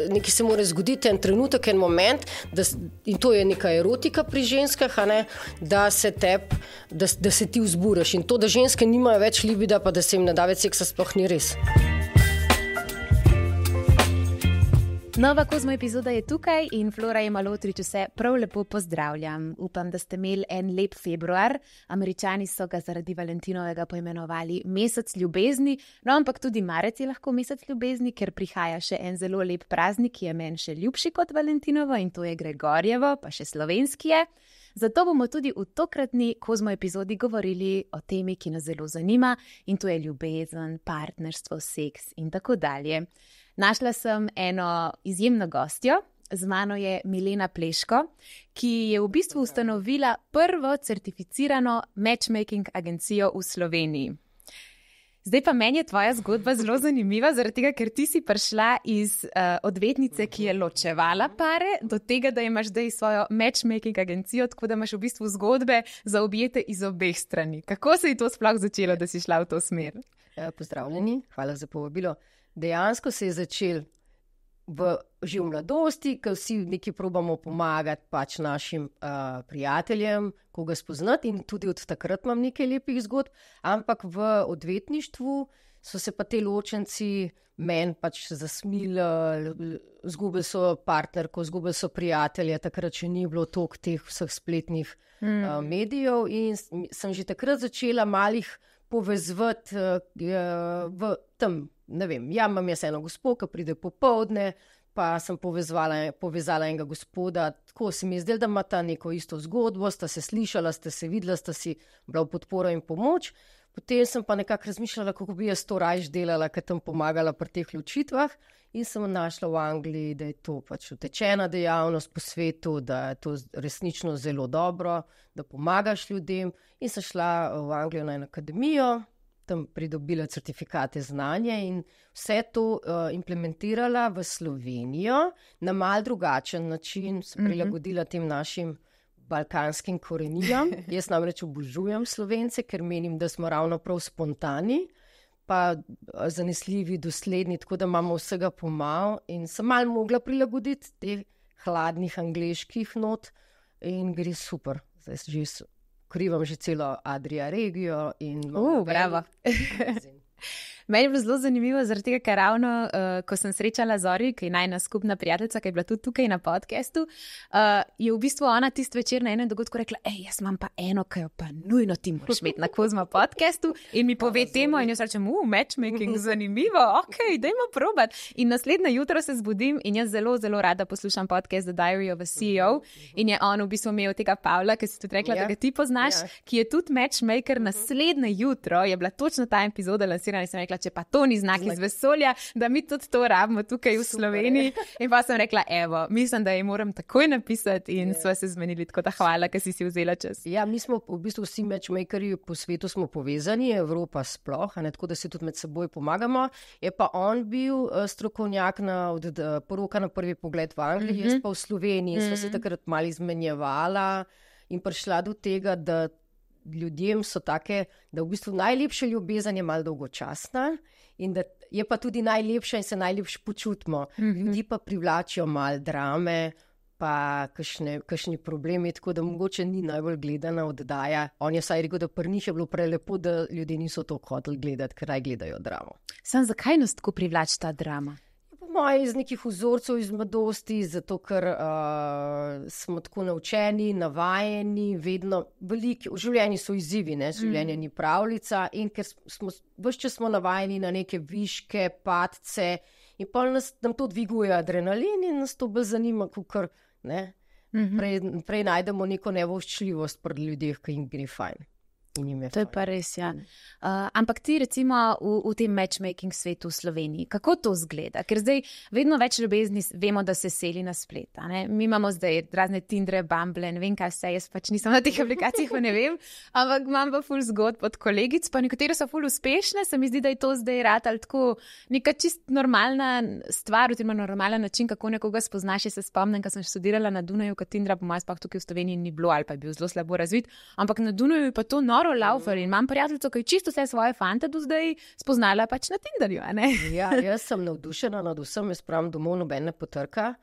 nekaj se mora zgoditi, en trenutek, en moment, in to je neka erotika pri ženskah, da se ti vzburaš. In to, da ženske nimajo več libida, pa da se jim ne da več seksa, sploh ni res. Nova Kozmo epizoda je tukaj in Flora Jemalotrič vse prav lepo pozdravljam. Upam, da ste imeli en lep februar. Američani so ga zaradi Valentinovega poimenovali mesec ljubezni, no ampak tudi marec je lahko mesec ljubezni, ker prihaja še en zelo lep praznik, ki je meni še ljubši kot Valentinovo in to je Gregorjevo, pa še slovenski je. Zato bomo tudi v tokratni Kozmo epizodi govorili o temi, ki nas zelo zanima in to je ljubezen, partnerstvo, seks in tako dalje. Našla sem eno izjemno gostjo, z mano je Milena Pleško, ki je v bistvu ustanovila prvo certificirano matchmaking agencijo v Sloveniji. Zdaj pa meni je tvoja zgodba zelo zanimiva, zaradi tega, ker ti si prišla iz odvetnice, ki je ločevala pare, do tega, da imaš zdaj svojo matchmaking agencijo, tako da imaš v bistvu zgodbe zaobjete iz obeh strani. Kako se je to sploh začelo, da si šla v to smer? Pozdravljeni, hvala za povabilo. Dejansko se je začel že v mladosti, ko vsi nekaj probamo pomagati pač našim prijateljem, koga spoznati in tudi od takrat imam nekaj lepih zgodb, ampak v odvetništvu so se pa te ločenci meni pač zasmilili, zgubili so partnerko, zgubili so prijatelje, takrat še ni bilo toliko teh vseh spletnih medijev in sem že takrat začela malih povezvati v tem, ne vem, imam jaz eno gospo, ki pride popoldne, pa sem povezala enega gospoda, tako se mi je zdelo, da ima ta neko isto zgodbo, sta se slišala, sta se videla, sta si bila v podporo in pomoč. Potem sem pa nekako razmišljala, kako bi jaz to rajš delala, ker tam pomagala pri teh ločitvah in sem našla v Angliji, da je to pač utečena dejavnost po svetu, da je to resnično zelo dobro, da pomagaš ljudem in sem šla v Anglijo na eno akademijo, tam pridobila certifikate znanja in vse to implementirala v Slovenijo na mal drugačen način, se prilagodila tem našim balkanskim korenijam. Jaz namreč obožujem Slovence, ker menim, da smo ravno prav spontani, pa zanesljivi, dosledni, tako da imamo vsega pomal in sem malo mogla prilagoditi teh hladnih angleških not in gre super. Zdaj že krivam že celo Adria regijo in... bravo. Meni je bilo zelo zanimivo, zaradi tega, ker ravno, ko sem srečala Zori, ki je najna skupna prijateljica, ki je bila tudi tukaj na podcastu, je v bistvu ona tist večer na enem dogodku rekla, jaz imam pa eno, ki jo pa nujno ti moraš imeti na Kozmo podcastu in mi pove temo in jaz rečem, matchmaking, zanimivo, dajmo probat. In naslednje jutro se zbudim in jaz zelo, zelo rada poslušam podcast The Diary of a CEO in je on v bistvu imel tega Pavla, ki si tudi rekla, da ga ti poznaš, ki je tudi matchmaker. Naslednje jutro je bila točno ta epizoda lansirana in sem rekla, če pa to ni znak iz vesolja, da mi tudi to rabimo tukaj v Sloveniji. In pa sem rekla, mislim, da ji moram takoj napisati in sva se zmenili, tako da hvala, ker si vzela čas. Ja, mi smo v bistvu vsi matchmakerji po svetu smo povezani, Evropa sploh, tako da se tudi med seboj pomagamo. Je pa on bil strokovnjak od poroka na prvi pogled v Angliji, jaz pa v Sloveniji. Sva se takrat malo izmenjevala in prišla do tega, da ljudem so take, da v bistvu najlepša ljubezen je malo dolgočasna in da je pa tudi najlepša in se najlepše počutimo. Ljudi pa privlačijo malo drame, pa kakšni problemi, tako da mogoče ni najbolj gledana oddaja. On je vsaj rekel, da pri njih je bilo prelepo, da ljudje niso to hoteli gledati, ker naj gledajo dramo. Sam zakaj nas tako privlači ta drama? Moje iz nekih vzorcev iz mladosti, zato ker smo tako naučeni, navajeni, vedno veliki, v življenju so izzivi, življenje ni pravljica in ker ves čas smo navajeni na neke viške, padce in pa nam to dviguje adrenalin in nas to bolj zanima, kakor prej najdemo neko nevoščljivost pri ljudeh, ki jim gre fajn. To je pa res, ja. Ampak ti recimo v tem matchmaking svetu v Sloveniji, kako to zgleda? Ker zdaj vedno več ljubezni vemo, da se seli na splet. Mi imamo zdaj razne Tindre, Bumble, ne vem kaj vse, jaz pač nisem na teh aplikacijah, pa ne vem, ampak imam pa ful zgodb od kolegic, pa nekatere so ful uspešne, se mi zdi, da je to zdaj ratalo tako neka čist normalna stvar, oziroma normalen način, kako nekoga spoznaš. Se spomnim, ko sem študirala na Dunaju, kot Tindra, po mojem sploh tukaj v Sloveniji ni bilo ali pa je bil zelo slabo razvit, ampak na Dunaju je pa to noro Karo Laufer in imam prijateljico, ki je čisto vse svoje fante do zdaj spoznala pač na Tinderju, a ne? Ja, jaz sem navdušena nad vsem, jaz pravim domov nobene potrka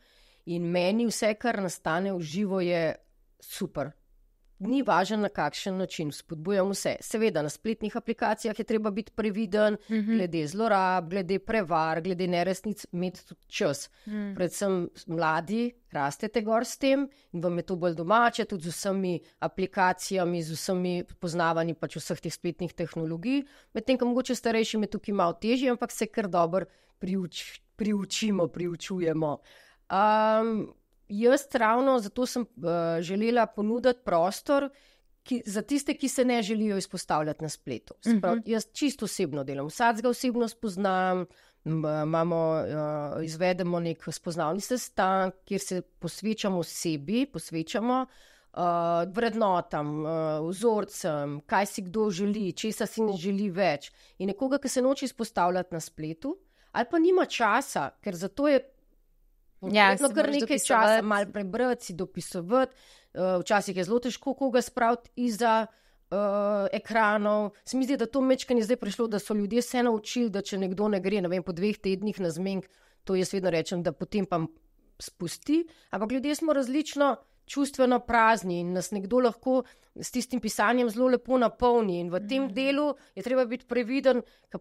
in meni vse, kar nastane v živo, je super. Ni važno, na kakšen način, spodbujam vse. Seveda, na spletnih aplikacijah je treba biti previden, glede zlorab, glede prevar, glede neresnic, imeti tudi čas. Predvsem mladi rastete gor s tem in vam je to bolj domače, tudi z vsemi aplikacijami, z vsemi poznavanji pač vseh teh spletnih tehnologij. Medtem, ko mogoče starejšim je tukaj malo težje, ampak se kar dobro priučujemo. Jaz ravno zato sem želela ponuditi prostor za tiste, ki se ne želijo izpostavljati na spletu. Sprav, jaz čisto osebno delam, vsakega osebno spoznam, izvedemo nek spoznavni sestanek, kjer se posvečamo sebi, vrednotam, vzorcem, kaj si kdo želi, česa si ne želi več. In nekoga, ki se noče izpostavljati na spletu, ali pa nima časa, ker zato je potrebno kar nekaj časa malo prebrati, si dopisovati. Včasih je zelo težko koga spraviti izza ekranov. Se mi zdi, da to mečkanje zdaj prišlo, da so ljudje se naučili, da če nekdo ne gre, ne vem, po 2 tednih na zmenk, to jaz vedno rečem, da potem pa spusti. Ampak ljudje smo različno čustveno prazni in nas nekdo lahko s tistim pisanjem zelo lepo napolni. In v tem delu je treba biti previden, ker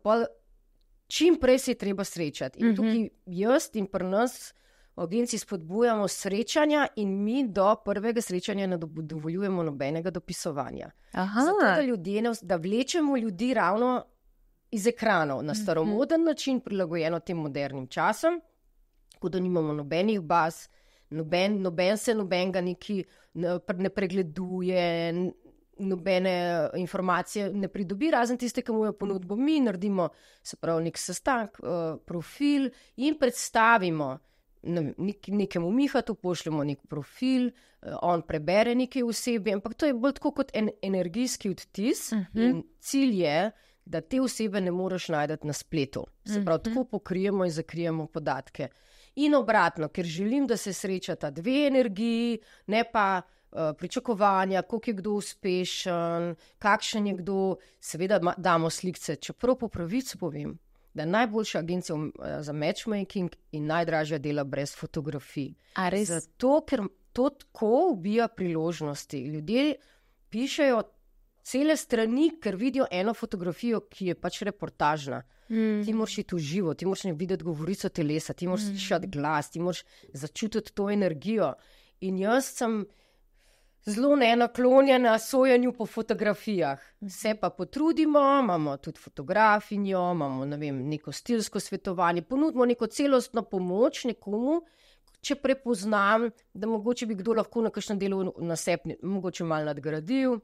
čim prej se je treba srečati. In tukaj jaz in pri nas v agenciji spodbujamo srečanja in mi do prvega srečanja ne dovoljujemo nobenega dopisovanja. Zato, da vlečemo ljudi ravno iz ekranov na staromoden način, prilagojeno tem modernim časom, tako da nimamo nobenih baz, noben se nobenega ne pregleduje, nobene informacije ne pridobi, razen tiste, ki mu jo ponudbo mi naredimo, se pravi nek sestanek, profil in predstavimo nekemu Mihatu, pošljemo nek profil, on prebere nekaj osebe, ampak to je bolj tako kot energijski odtis in cilj je, da te osebe ne moreš najti na spletu. Se pravi, tako pokrijemo in zakrijemo podatke. In obratno, ker želim, da se srečata 2 energiji, ne pa pričakovanja, koliko je kdo uspešen, kakšen je kdo, seveda damo slikce, čeprav po pravici povem, da je najboljša agencija za matchmaking in najdražja dela brez fotografij. Zato, ker to tako ubija priložnosti. Ljudje pišejo cele strani, ker vidijo eno fotografijo, ki je pač reportažna. Ti moraš iti v živo, ti moraš videti govorico telesa, ti moraš slišati glas, ti moraš začutiti to energijo. In jaz sem zelo nenaklonjena sojenju po fotografijah. Se pa potrudimo, imamo tudi fotografinjo, imamo, ne vem, neko stilsko svetovanje, ponudimo neko celostno pomoč nekomu, če prepoznam, da mogoče bi kdo lahko na kakšnem delu na sebi mogoče malo nadgradil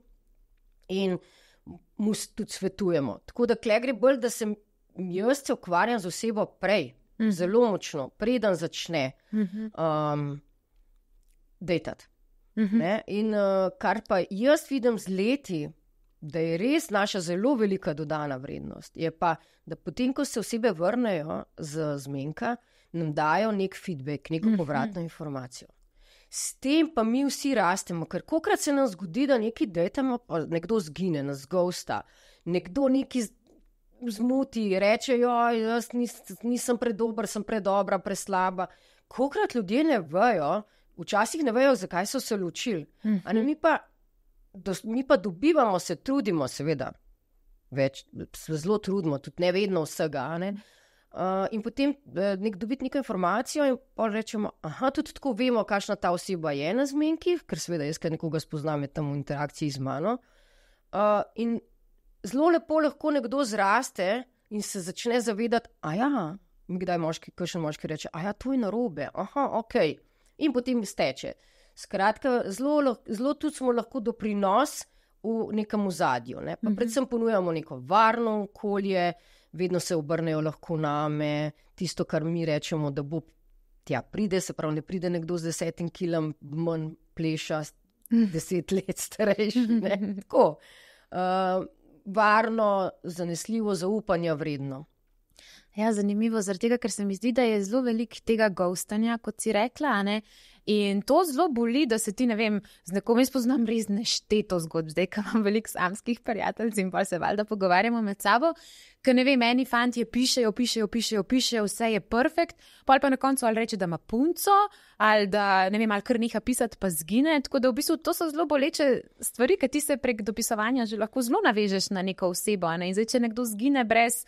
in mu tudi svetujemo. Tako da kle gre bolj, da jaz se ukvarjam z osebo prej, zelo močno, preden začne dejtati. In kar pa jaz vidim z leti, da je res naša zelo velika dodana vrednost, je pa, da potem, ko se osebe vrnejo z zmenka, nam dajo nek feedback, neko povratno informacijo. S tem pa mi vsi rastemo, ker kolikrat se nam zgodi, da nekaj dejtamo, pa nekdo zgine, nas ghosta, nekdo nekaj zmuti, reče, jaz nisem predober, sem predobra, preslaba. Kolikrat ljudje ne vejo, včasih ne vejo, zakaj so se ločili. Mi pa dobivamo, se trudimo, seveda, se zelo trudimo, tudi ne vedno vsega. Ne? In potem dobiti neko informacijo in pa rečemo, tudi tako vemo, kakšna ta oseba je na zmenkih, ker seveda jaz, kaj nekoga spoznam, je tam v interakciji z mano. In zelo lepo lahko nekdo zraste in se začne zavedati, kdaj kakšen moški reče, to je narobe, okej. In potem steče. Skratka, zelo tudi smo lahko doprinos v nekem ozadju. Ne? Pa predvsem ponujamo neko varno okolje, vedno se obrnejo lahko name, tisto, kar mi rečemo, da bo tja pride, se pravi, ne pride nekdo z 10 kilom manj pleša, 10 let starejši. Tako. Varno, zanesljivo, zaupanja vredno. Ja, zanimivo, zaradi tega, ker se mi zdi, da je zelo veliko tega ghostanja, kot si rekla, a ne? In to zelo boli, da se ti, ne vem, z nekom spoznam res nešteto zgodb, zdaj, ko imam veliko samskih prijateljcev in pa se valjda pogovarjamo med sabo, ker ne vem, eni fantje pišejo, vse je perfekt, pa na koncu ali reče, da ima punco, ali da, ne vem, ali kar neha pisati, pa zgine, tako da v bistvu to so zelo boleče stvari, ker ti se prek dopisovanja že lahko zelo navežeš na neko osebo, a ne? In zdaj, če nekdo zgine brez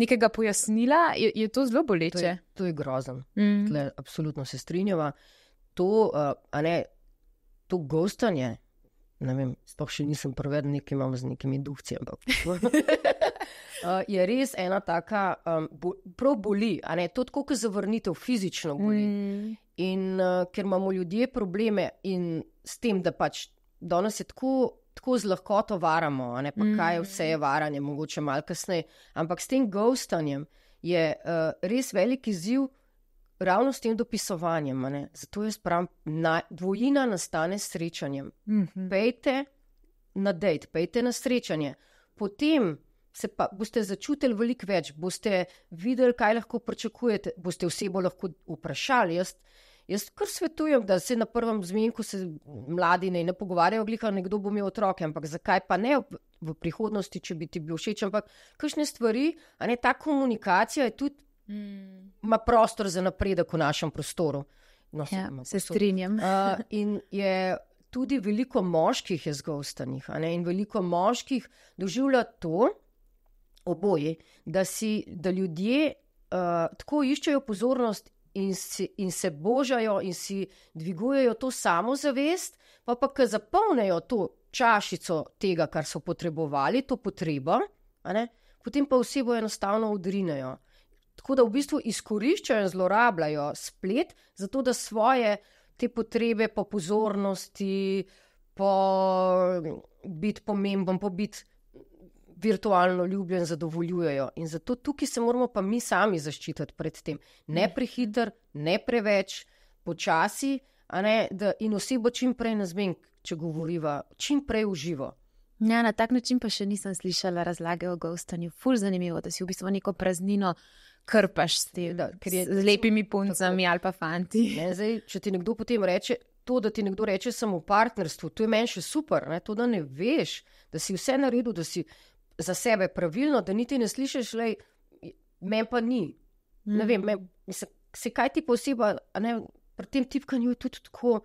nekega pojasnila, je to zelo boleče. To je grozno. Absolutno se strinjava. To ghostanje, ne vem, sploh še nisem prevedel, nekaj imam z nekimi duhci, ampak je res ena taka, prav boli, a ne, to tako, kot zavrnitev, fizično boli. In ker imamo ljudje probleme in s tem, da pač danes je tako z lahkoto varamo, a ne, pa kaj vse je varanje, mogoče malo kasneje, ampak s tem ghostanjem je res velik izziv ravno s tem dopisovanjem, a ne. Zato jaz pravim, dvojina nastane s srečanjem. Pejte na dejt, pejte na srečanje, potem se pa boste začutili veliko več, boste videli, kaj lahko pričakujete, boste osebo lahko vprašali. Jaz kar svetujem, da se na prvem zmenku se mladi ne pogovarjajo, glika nekdo bo imel otroke, ampak zakaj pa ne v prihodnosti, če bi ti bil všeč, ampak kakšne stvari, a ne, ta komunikacija je tudi ima prostor za napredek v našem prostoru. No, se strinjam. In je tudi veliko moških je zgostanih, a ne, in veliko moških doživlja to, oboje, da ljudje tako iščejo pozornost in se božajo in si dvigujejo to samozavest, pa ko zapolnejo to čašico tega, kar so potrebovali, to potrebo, a ne, potem pa osebo enostavno odrinejo. Tako da v bistvu izkoriščajo in zlorabljajo splet, zato da svoje te potrebe po pozornosti, po biti pomemben, po biti virtualno ljubljen, zadovoljujejo. In zato tukaj se moramo pa mi sami zaščititi pred tem. Ne prehiter, ne preveč, počasi, a ne, in osebo čim prej na zmenk, če govoriva, čim prej v živo. Ja, na tak način pa še nisem slišala razlage o ghostanju. Ful zanimivo, da si v bistvu neko praznino krpaš s tem, z lepimi puncami ali pa fanti. Ne, zdaj, če ti nekdo potem reče, to, da ti nekdo reče samo v partnerstvu, to je meni še super, ne, to, da ne veš, da si vse naredil, da si za sebe pravilno, da niti ne slišiš, lej, meni pa ni. Ne vem, se kaj ti pa oseba, a ne, pri tem tipkanju je tudi tako,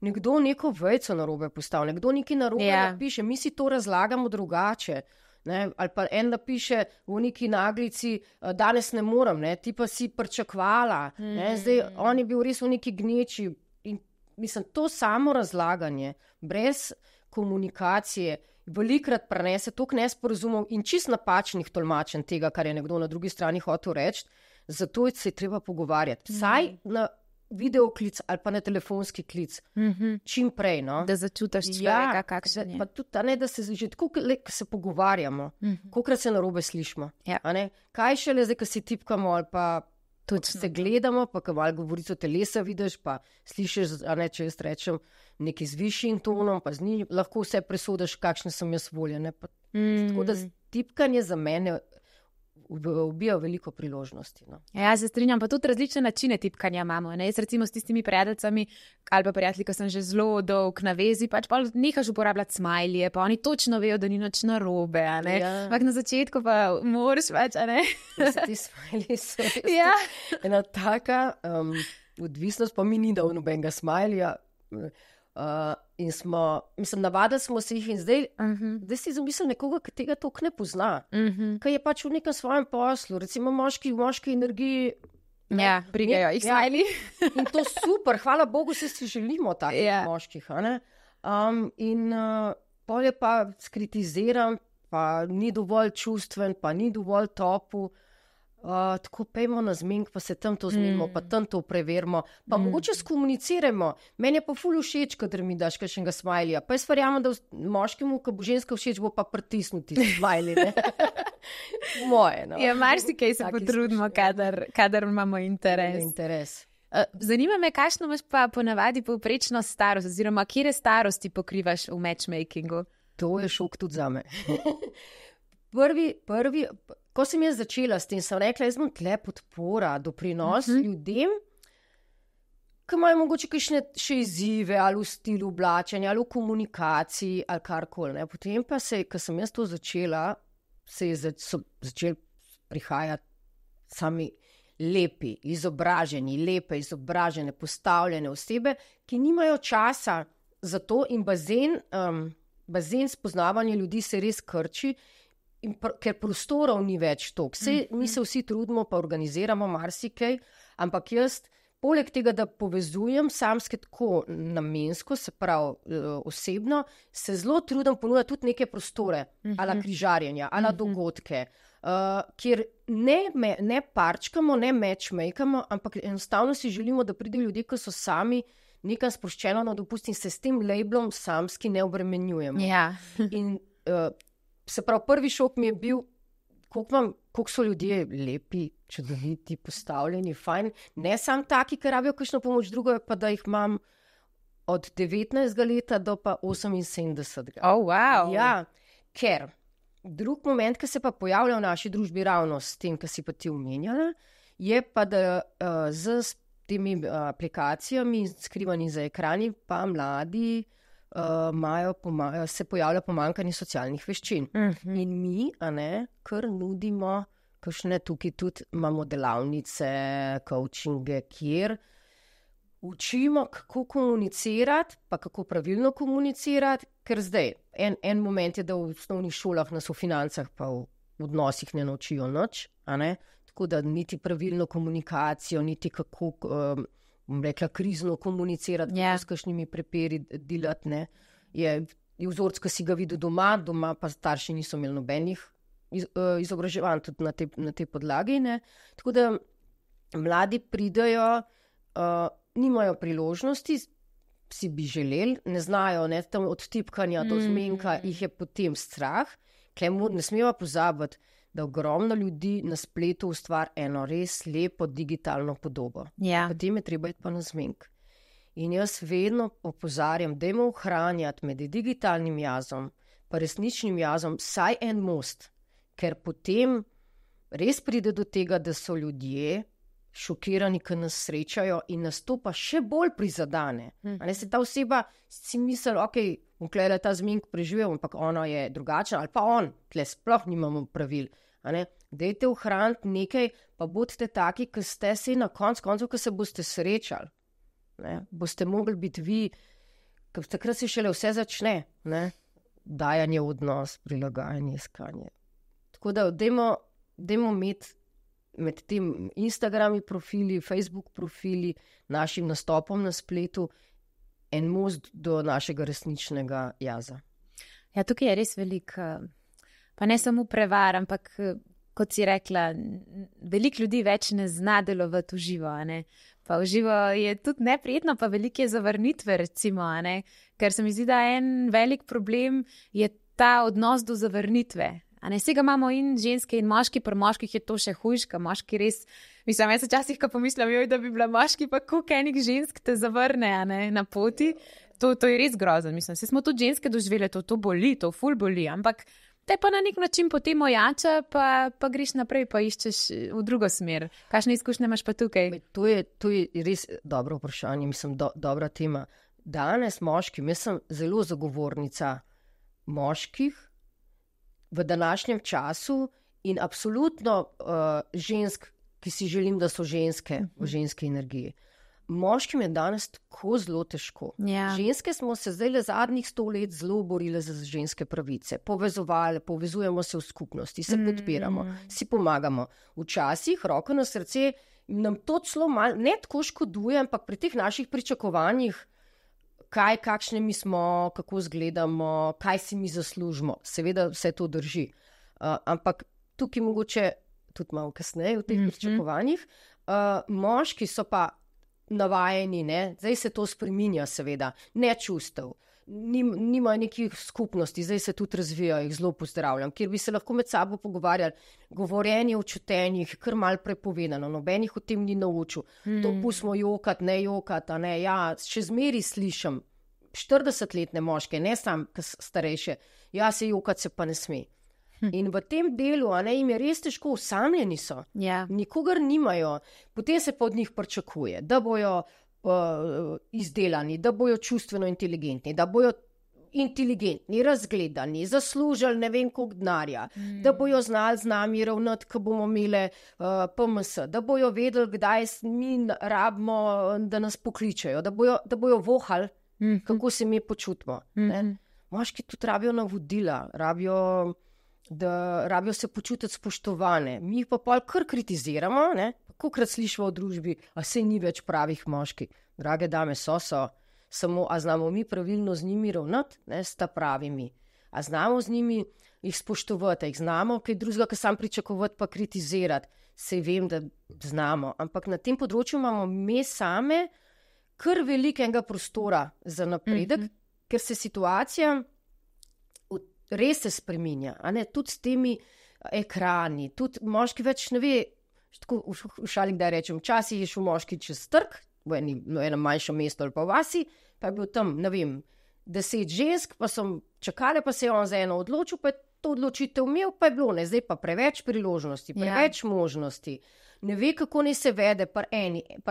nekdo neko vejco narobe postavlja, nekdo nekaj narobe napiše, mi si to razlagamo drugače. Ne, ali pa en napiše v neki naglici, danes ne morem, ne, ti pa si pričakvala, ne, zdaj on je bil res v neki gneči in mislim, to samo razlaganje, brez komunikacije, velikrat prenese toliko nesporazumov in čist napačnih tolmačenj tega, kar je nekdo na drugi strani hotel reči, zato se je treba pogovarjati. Vsaj na videoklic ali pa na telefonski klic, čim prej, no. Da začutiš človeka, kakšen je. Pa tudi, ne, da se že tako, ko se pogovarjamo, kolikrat se narobe slišimo. A ne, kaj šele zdaj, ko si tipkamo ali pa se gledamo, pa ko malo govorico telesa vidiš, pa slišiš, a ne, če jaz rečem nekaj z višjim tonom, pa z njim, lahko vse presodiš, kakšne sem jaz voljene. Tako da tipkanje za mene ubija veliko priložnosti. No. Ja, se strinjam, pa tudi različne načine tipkanja imamo. Ne? Jaz recimo s tistimi prijateljicami ali pa prijatelji, ki sem že zelo dolg na vezi, pač pa nehaš uporabljati smajlije, pa oni točno vejo, da ni nič narobe. Ampak na začetku pa moraš pač, a ne? Ti smajliji so ena taka odvisnost, pa mi ni dal nobenega smajlija. In smo, mislim, navadili smo se jih in zdaj si zamislim nekoga, ki tega toliko ne pozna, ki je pač v nekem svojem poslu, recimo moški v moški energiji. Ja, brigajo jih smajli. In to super, hvala Bogu, se si želimo takih moških. In pol je pa skritiziran, pa ni dovolj čustven, pa ni dovolj topu. Tako pejmo na zmenk, pa se tam to zmenimo, pa tam to preverimo, pa mogoče skomuniciramo. Meni je pa ful všeč, kadar mi daš kakšnega smajlija. Pa jaz verjamem, da moškemu, ko bo ženska všeč, bo pa pritisnuti smajli, ne? Moje, no. Ja, marsikaj se potrudimo, kadar imamo interes. Zanima me, kakšno imaš pa ponavadi povprečno starost, oziroma kje starosti pokrivaš v matchmakingu? To je šok tudi zame. ko sem jaz začela s tem, sem rekla, jaz bom tle podpora, doprinos ljudem, ki imajo mogoče kakšne še izzive, ali v stilu oblačenja, ali v komunikaciji, ali karkoli. Potem pa ko sem jaz to začela, so začeli prihajati sami lepe, izobražene, postavljene osebe, ki nimajo časa za to in bazen spoznavanja ljudi se res krči, ker prostorov ni več toliko. Mi se vsi trudimo, pa organiziramo marsikaj, ampak jaz, poleg tega, da povezujem samske tako namensko, se pravi osebno, se zelo trudim ponuditi tudi neke prostore, ala križarjenja, ala dogodke, kjer ne parčkamo, ne matchmakamo, ampak enostavno si želimo, da pridejo ljudje, ki so sami nekam sproščeno na dopust in se s tem labelom samski ne obremenjujemo. Ja. In se pravi, prvi šok mi je bil, koliko so ljudje lepi, čudoviti, postavljeni, fajn. Ne samo taki, ki rabijo kakšno pomoč, drugo je pa, da jih imam od 19. leta do pa 78. Oh, wow. Ja, ker drug moment, ki se pa pojavlja v naši družbi ravno s tem, ki si pa ti omenjala, je pa, da z temi aplikacijami, skrivani za ekrani, pa mladi se pojavlja pomanjkanje socialnih veščin. In mi, kar nudimo, kakšne tukaj tudi imamo delavnice, coachinge, kjer učimo, kako komunicirati, pa kako pravilno komunicirati, ker zdaj, en moment je, da v osnovnih šolah nas v financah pa v odnosih ne naučijo nič, tako da niti pravilno komunikacijo, niti kako, bom rekla, krizno komunicirati, s kakšnimi prepiri delati, je vzorc, ki si ga videl doma pa starši niso imeli nobenih izobraževanj tudi na tej podlagi, tako da mladi pridejo, nimajo priložnosti, si bi želeli, ne znajo, tam od tipkanja do zmenka jih je potem strah, ne smemo pozabiti, da ogromno ljudi na spletu ustvari eno res lepo digitalno podobo. Ja. Potem je treba iti pa na zmenk. In jaz vedno opozarjam, dajmo ohranjati med digitalnim jazom pa resničnim jazom vsaj en most, ker potem res pride do tega, da so ljudje šokirani, ki nas srečajo in nas to pa še bolj prizadane. Se ta oseba si misli, bom tule ta zmenk preživel, ampak ona je drugačna, ali pa on, tle sploh nimamo pravil. Dajte ohraniti nekaj, pa bodite taki, ki ste se na koncu, ki se boste srečali. Boste mogli biti vi, ker takrat se šele vse začne. Dajanje v odnos, prilagajanje, iskanje. Tako da dajmo imeti med tem Instagrami profili, Facebook profili, našim nastopom na spletu en most do našega resničnega jaza. Ja, tukaj je res veliko, pa ne samo prevar, ampak kot si rekla, veliko ljudi več ne zna delovati v živo, Pa v živo je tudi neprijetno, pa veliko je zavrnitve, recimo, ker se mi zdi, da en velik problem je ta odnos do zavrnitve. Vsega imamo in ženske in moški, pri moških je to še hujš, ka moški res, mislim, jaz včasih, ko pomislim, da bi bila moški, pa koliko enih žensk te zavrne, na poti, to je res grozno, mislim, se smo tudi ženske doživele, to boli, to ful boli, ampak te pa na nek način potem ojača, pa greš naprej, pa iščeš v drugo smer. Kakšne izkušnje imaš pa tukaj? To je res dobro vprašanje, mislim, dobra tema. Danes moškim, jaz sem zelo zagovornica moških, v današnjem času in absolutno žensk, ki si želim, da so ženske v ženski energiji. Moškim je danes tako zelo težko. Ja. Ženske smo se zdaj zadnjih 100 let zelo borile za ženske pravice. Povezujemo se v skupnosti, se podpiramo, si pomagamo. Včasih, roko na srce, nam to celo malo, ne tako škoduje, ampak pri teh naših pričakovanjih, kakšne mi smo, kako izgledamo, kaj si mi zaslužimo. Seveda vse to drži. Ampak tukaj mogoče tudi malo kasneje v teh pričakovanjih. Moški so pa navajeni, zdaj se to spreminja seveda, ne čustev, nimajo nekih skupnosti, zdaj se tudi razvijajo, jih zelo pozdravljam, kjer bi se lahko med sabo pogovarjali, govorjenje o čutenjih, kar malo prepovedano, nobenih o tem ni naučil, to pustimo jokati, ne jokati, še zmeri slišim, 40-letne moške, ne sam starejše, se jokati se pa ne sme. In v tem delu, jim je res težko, osamljeni so, nikogar nimajo, potem se pa od njih pričakuje, da bojo izdelani, da bojo čustveno inteligentni, da bojo inteligentni, razgledani, zaslužili ne vem koliko denarja, da bojo znali z nami ravnati, ko bomo imeli PMS, da bojo vedeli, kdaj mi rabimo, da nas pokličejo, da bojo vohali, kako se mi počutimo. Moški tudi rabijo navodila, rabijo se počutiti spoštovane. Mi jih pa pol kar kritiziramo, kolikokrat slišimo v družbi, a saj ni več pravih moških. Drage dame, so, samo a znamo mi pravilno z njimi ravnati, sta pravimi. A znamo z njimi jih spoštovati, jih znamo kaj drugega, kar sam pričakovati pa kritizirati. Sej vem, da znamo, ampak na tem področju imamo mi same kar velikega prostora za napredek, ker se situacija res se spreminja, tudi s temi ekrani, tudi moški več ne ve, tako v šali kdaj rečem, včasih je šel moški čez trg, v enem manjšem mestu ali pa vasi, pa je bil tam, ne vem, 10 žensk, pa so čakale, pa se je on za eno odločil, pa je to odločitev imel, pa je bilo, zdaj pa preveč priložnosti, preveč možnosti. Ne ve, kako naj se vede, pri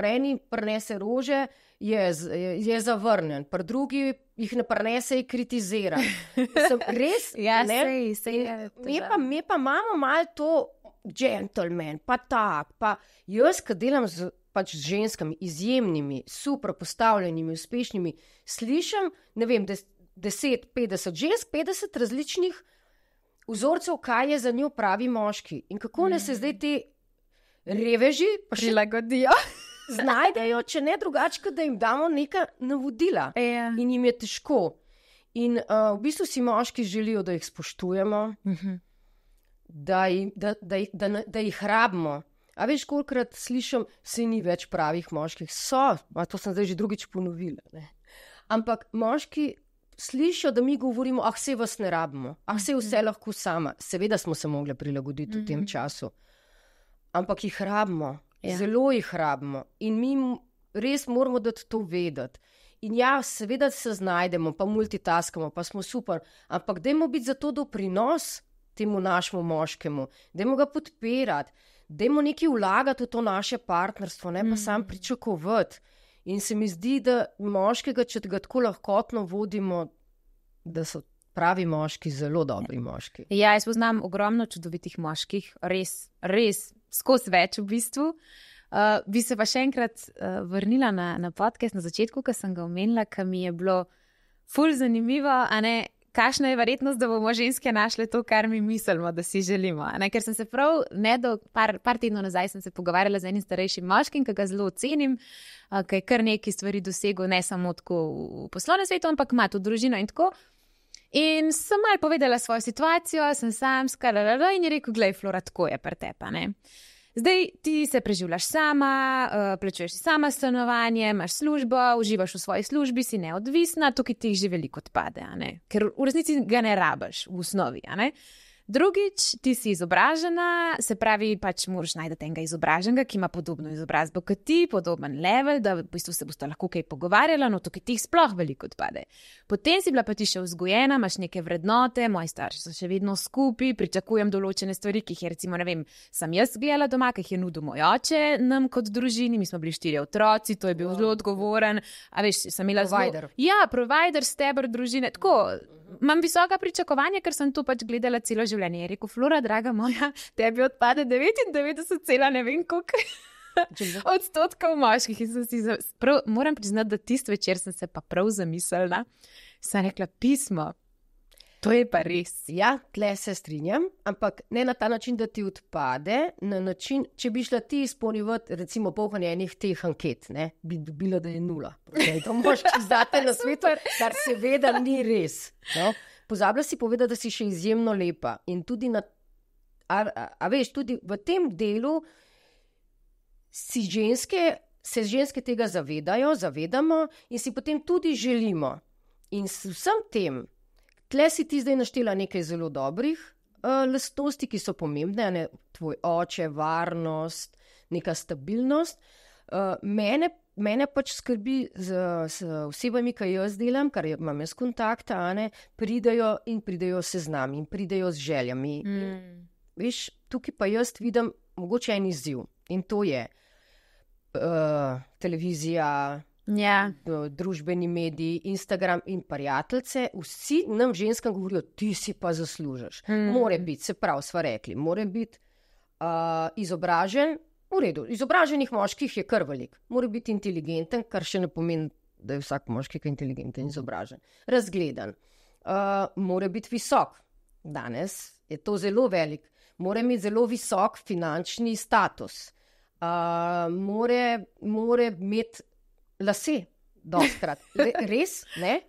eni prinese rože, je zavrnjen, pri drugi jih ne prinese, je kritizira. Res, mi pa imamo malo to gentleman, pa tak, pa jaz, ki delam z ženskami, izjemnimi, super postavljenimi, uspešnimi, slišim, ne vem, 10, 50 žensk, 50 različnih vzorcev, kaj je za njo pravi moški. In kako ne se zdaj te reveži pa prilagodijo, znajdejo, če ne drugače, da jim damo neka navodila. In jim je težko. In v bistvu si moški želijo, da jih spoštujemo, da jih rabimo. A veš, kolikrat slišim, se ni več pravih moških. To sem zdaj že drugič ponovila. Ampak moški slišijo, da mi govorimo, saj vas ne rabimo, saj vse lahko sama. Seveda smo se mogli prilagoditi v tem času. Ampak jih rabimo, zelo jih rabimo in mi res moramo dati to vedeti. In seveda se znajdemo, pa multitaskamo, pa smo super, ampak dajmo biti za to doprinos temu našemu moškemu, dajmo ga podpirati, dajmo nekaj vlagati v to naše partnerstvo, ne pa sam pričakovati. In se mi zdi, da moškega, če ga tako lahkotno vodimo, da so pravi moški zelo dobri moški. Ja, jaz poznam ogromno čudovitih moških, res, skozi več v bistvu. Bi se pa še enkrat vrnila na podcast na začetku, ko sem ga omenila, ker mi je bilo ful zanimivo, kakšna je verjetnost, da bomo ženske našle to, kar mi mislimo, da si želimo. Ker sem se prav, par tednov nazaj sem se pogovarjala z enim starejšim moškim, ki ga zelo ocenim, ki je kar nekaj stvari dosegel, ne samo tako v poslovnem svetu, ampak ima tudi družino in tako. In sem malo povedala svojo situacijo, sem samska, in je rekel, glej, Flora, tako je pri tebi, ne. Zdaj ti se preživljaš sama, plačuješ si sama stanovanje, imaš službo, uživaš v svoji službi, si neodvisna, tukaj ti jih že veliko odpade, ker v resnici ga ne rabiš v osnovi, Drugič, ti si izobražena, se pravi, moraš najti enega izobraženega, ki ima podobno izobrazbo kot ti, podoben level, da v bistvu se boste lahko kaj pogovarjala, no tukaj ti jih sploh veliko odpade. Potem si bila pa ti še vzgojena, imaš neke vrednote, moji starši so še vedno skupaj, pričakujem določene stvari, ki jih je recimo, ne vem, sem jaz gledala doma, ki jih je nudil moj oče nam kot družini, mi smo bili 4 otroci, to je bil zelo odgovoren, a veš, sem imela provider. Provider, steber družine, tako. Imam visoka pričakovanja, ker sem to gledala celo življenje. Je rekel, Flora, draga moja, tebi odpade 99, ne vem koliko odstotkov moških. Moram priznati, da tist večer sem se pa prav zamislila. Sem rekla, pismo, to je pa res. Ja, tle se strinjam, ampak ne na ta način, da ti odpade, na način, če bi šla ti izpolnjevati recimo polnjenje enih teh anket, bi dobila, da je 0. To moški zdate na svetu, kar seveda ni res. No? Pozabila si povedati, da si še izjemno lepa in tudi veš, tudi v tem delu se ženske tega zavedamo in si potem tudi želimo. In s vsem tem, tle si ti zdaj naštela nekaj zelo dobrih lastnosti, ki so pomembne, tvoj oče, varnost, neka stabilnost. Mene mene pač skrbi z osebami, ki jaz delam, kar imam jaz kontakta, pridejo se z nami in pridejo z željami. Veš, tukaj pa jaz vidim mogoče en izziv in to je televizija, družbeni mediji, Instagram in prijateljce, vsi nam ženskam govorijo, ti si pa zaslužiš. More biti, se pravi, sva rekli, more biti izobražen, v redu, izobraženih moških je kar velik, more biti inteligenten, kar še ne pomeni, da je vsak moški inteligenten in izobražen. Razgledan, more biti visok, danes je to zelo velik, more imeti zelo visok finančni status, more imeti lase, dostkrat. Res, ne?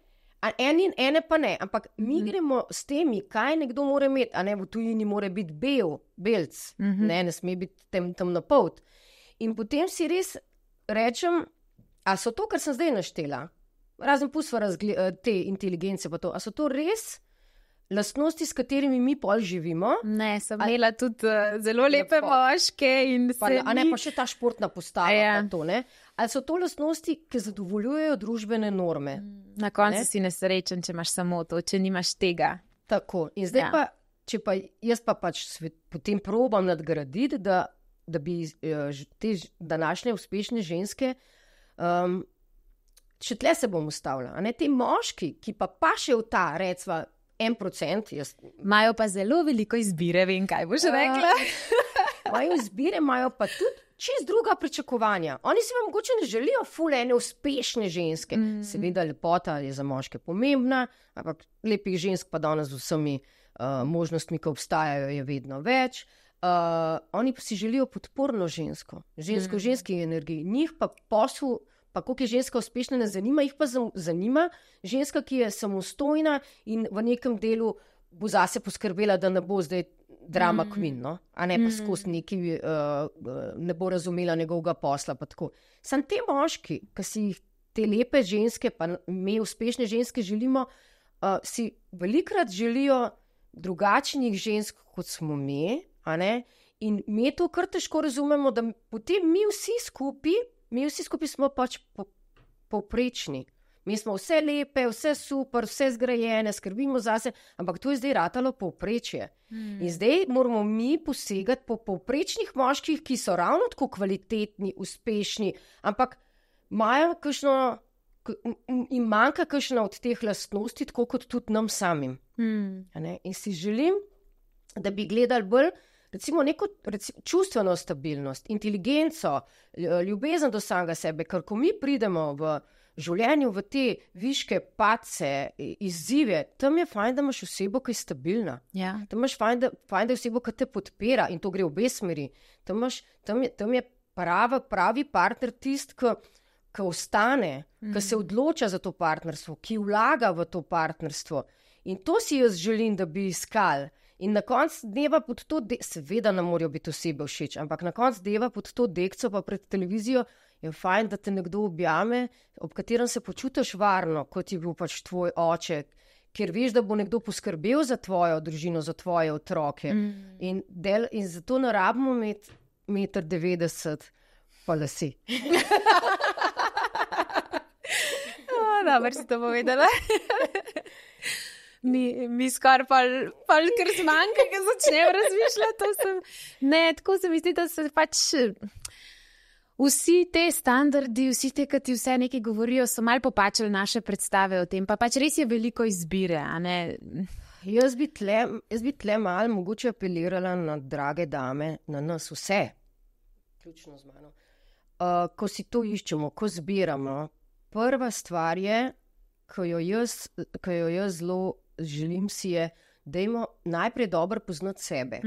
Ene pa ne, ampak mi gremo s temi, kaj nekdo mora imeti, a ne v tujini mora biti belc, ne sme biti temnopolt. In potem si res rečem, a so to, kar sem zdaj naštela, razen pustva te inteligence pa to, a so to res lastnosti, s katerimi mi pol živimo? Ne, sem imela tudi zelo lepe moške in pa še ta športna postava pa to, ne? Ali so to lastnosti, ki zadovoljujejo družbene norme? Na koncu si nesrečen, če imaš samo to, če nimaš tega. Tako, in zdaj pa, jaz pa pač potem probam nadgraditi, da bi te današnje uspešne ženske, še tle se bom ustavila, a ne, te moški, ki pa še v ta, recva, 1%, imajo pa zelo veliko izbire, vem, kaj boš rekla. Imajo izbire, imajo pa tudi čist druga pričakovanja. Oni si vam mogoče ne želijo ful ene uspešne ženske. Seveda lepota je za moške pomembna, ampak lepih žensk pa danes z vsemi možnostmi, ki obstajajo, je vedno več. Oni pa si želijo podporno žensko v ženski energiji. Njih pa posel, pa koliko je ženska uspešna, ne zanima, jih pa zanima ženska, ki je samostojna in v nekem delu bo zase poskrbela, da ne bo zdaj drama queen, no? A ne pa skozi neki, ne bo razumela njegovega posla, pa tako. Sam te moški, ki si jih te lepe ženske, pa me uspešne ženske želimo, si velikrat želijo drugačnih žensk, kot smo mi, a ne? In mi to kar težko razumemo, da potem mi vsi skupaj smo pač povprečni. Mi smo vse lepe, vse super, vse zgrajene, skrbimo zase, ampak to je zdaj ratalo povprečje. In zdaj moramo mi posegati po povprečnih moških, ki so ravno tako kvalitetni, uspešni, ampak imajo kakšno, jim manjka kakšna od teh lastnosti, tako kot tudi nam samim. In si želim, da bi gledali bolj recimo neko čustveno stabilnost, inteligenco, ljubezen do samega sebe, ker ko mi pridemo v življenju v te viške padce, izzive, tam je fajn, da imaš osebo, ki je stabilna. Tam imaš fajn, da je osebo, ki te podpira in to gre v obe smeri. Tam je pravi partner tist, ki ostane, ki se odloča za to partnerstvo, ki vlaga v to partnerstvo. In to si jaz želim, da bi iskali. In na koncu dneva pod to, seveda ne morajo biti osebe všeč, ampak na koncu dneva pod to dekco pa pred televizijo je fajn, da te nekdo objame, ob katerem se počutiš varno, kot je bil pač tvoj oče, ker veš, da bo nekdo poskrbel za tvojo družino, za tvoje otroke. In zato ne rabimo imeti 1,90 m pa lase. Dobro si to povedala. Mi skoraj kar zmanjka, ki začnem razmišljati. Ne, tako se mi zdi, da se pač vsi te standardi, vsi te, ki ti vse nekaj govorijo, so malo popačali naše predstave o tem, pa pač res je veliko izbire, a ne? Jaz bi tle malo mogoče apelirala na drage dame, na nas vse, ključno z mano. Ko si to iščemo, ko zbiramo, prva stvar je, ko jo jaz zelo želim si je, dajmo najprej dobro poznati sebe.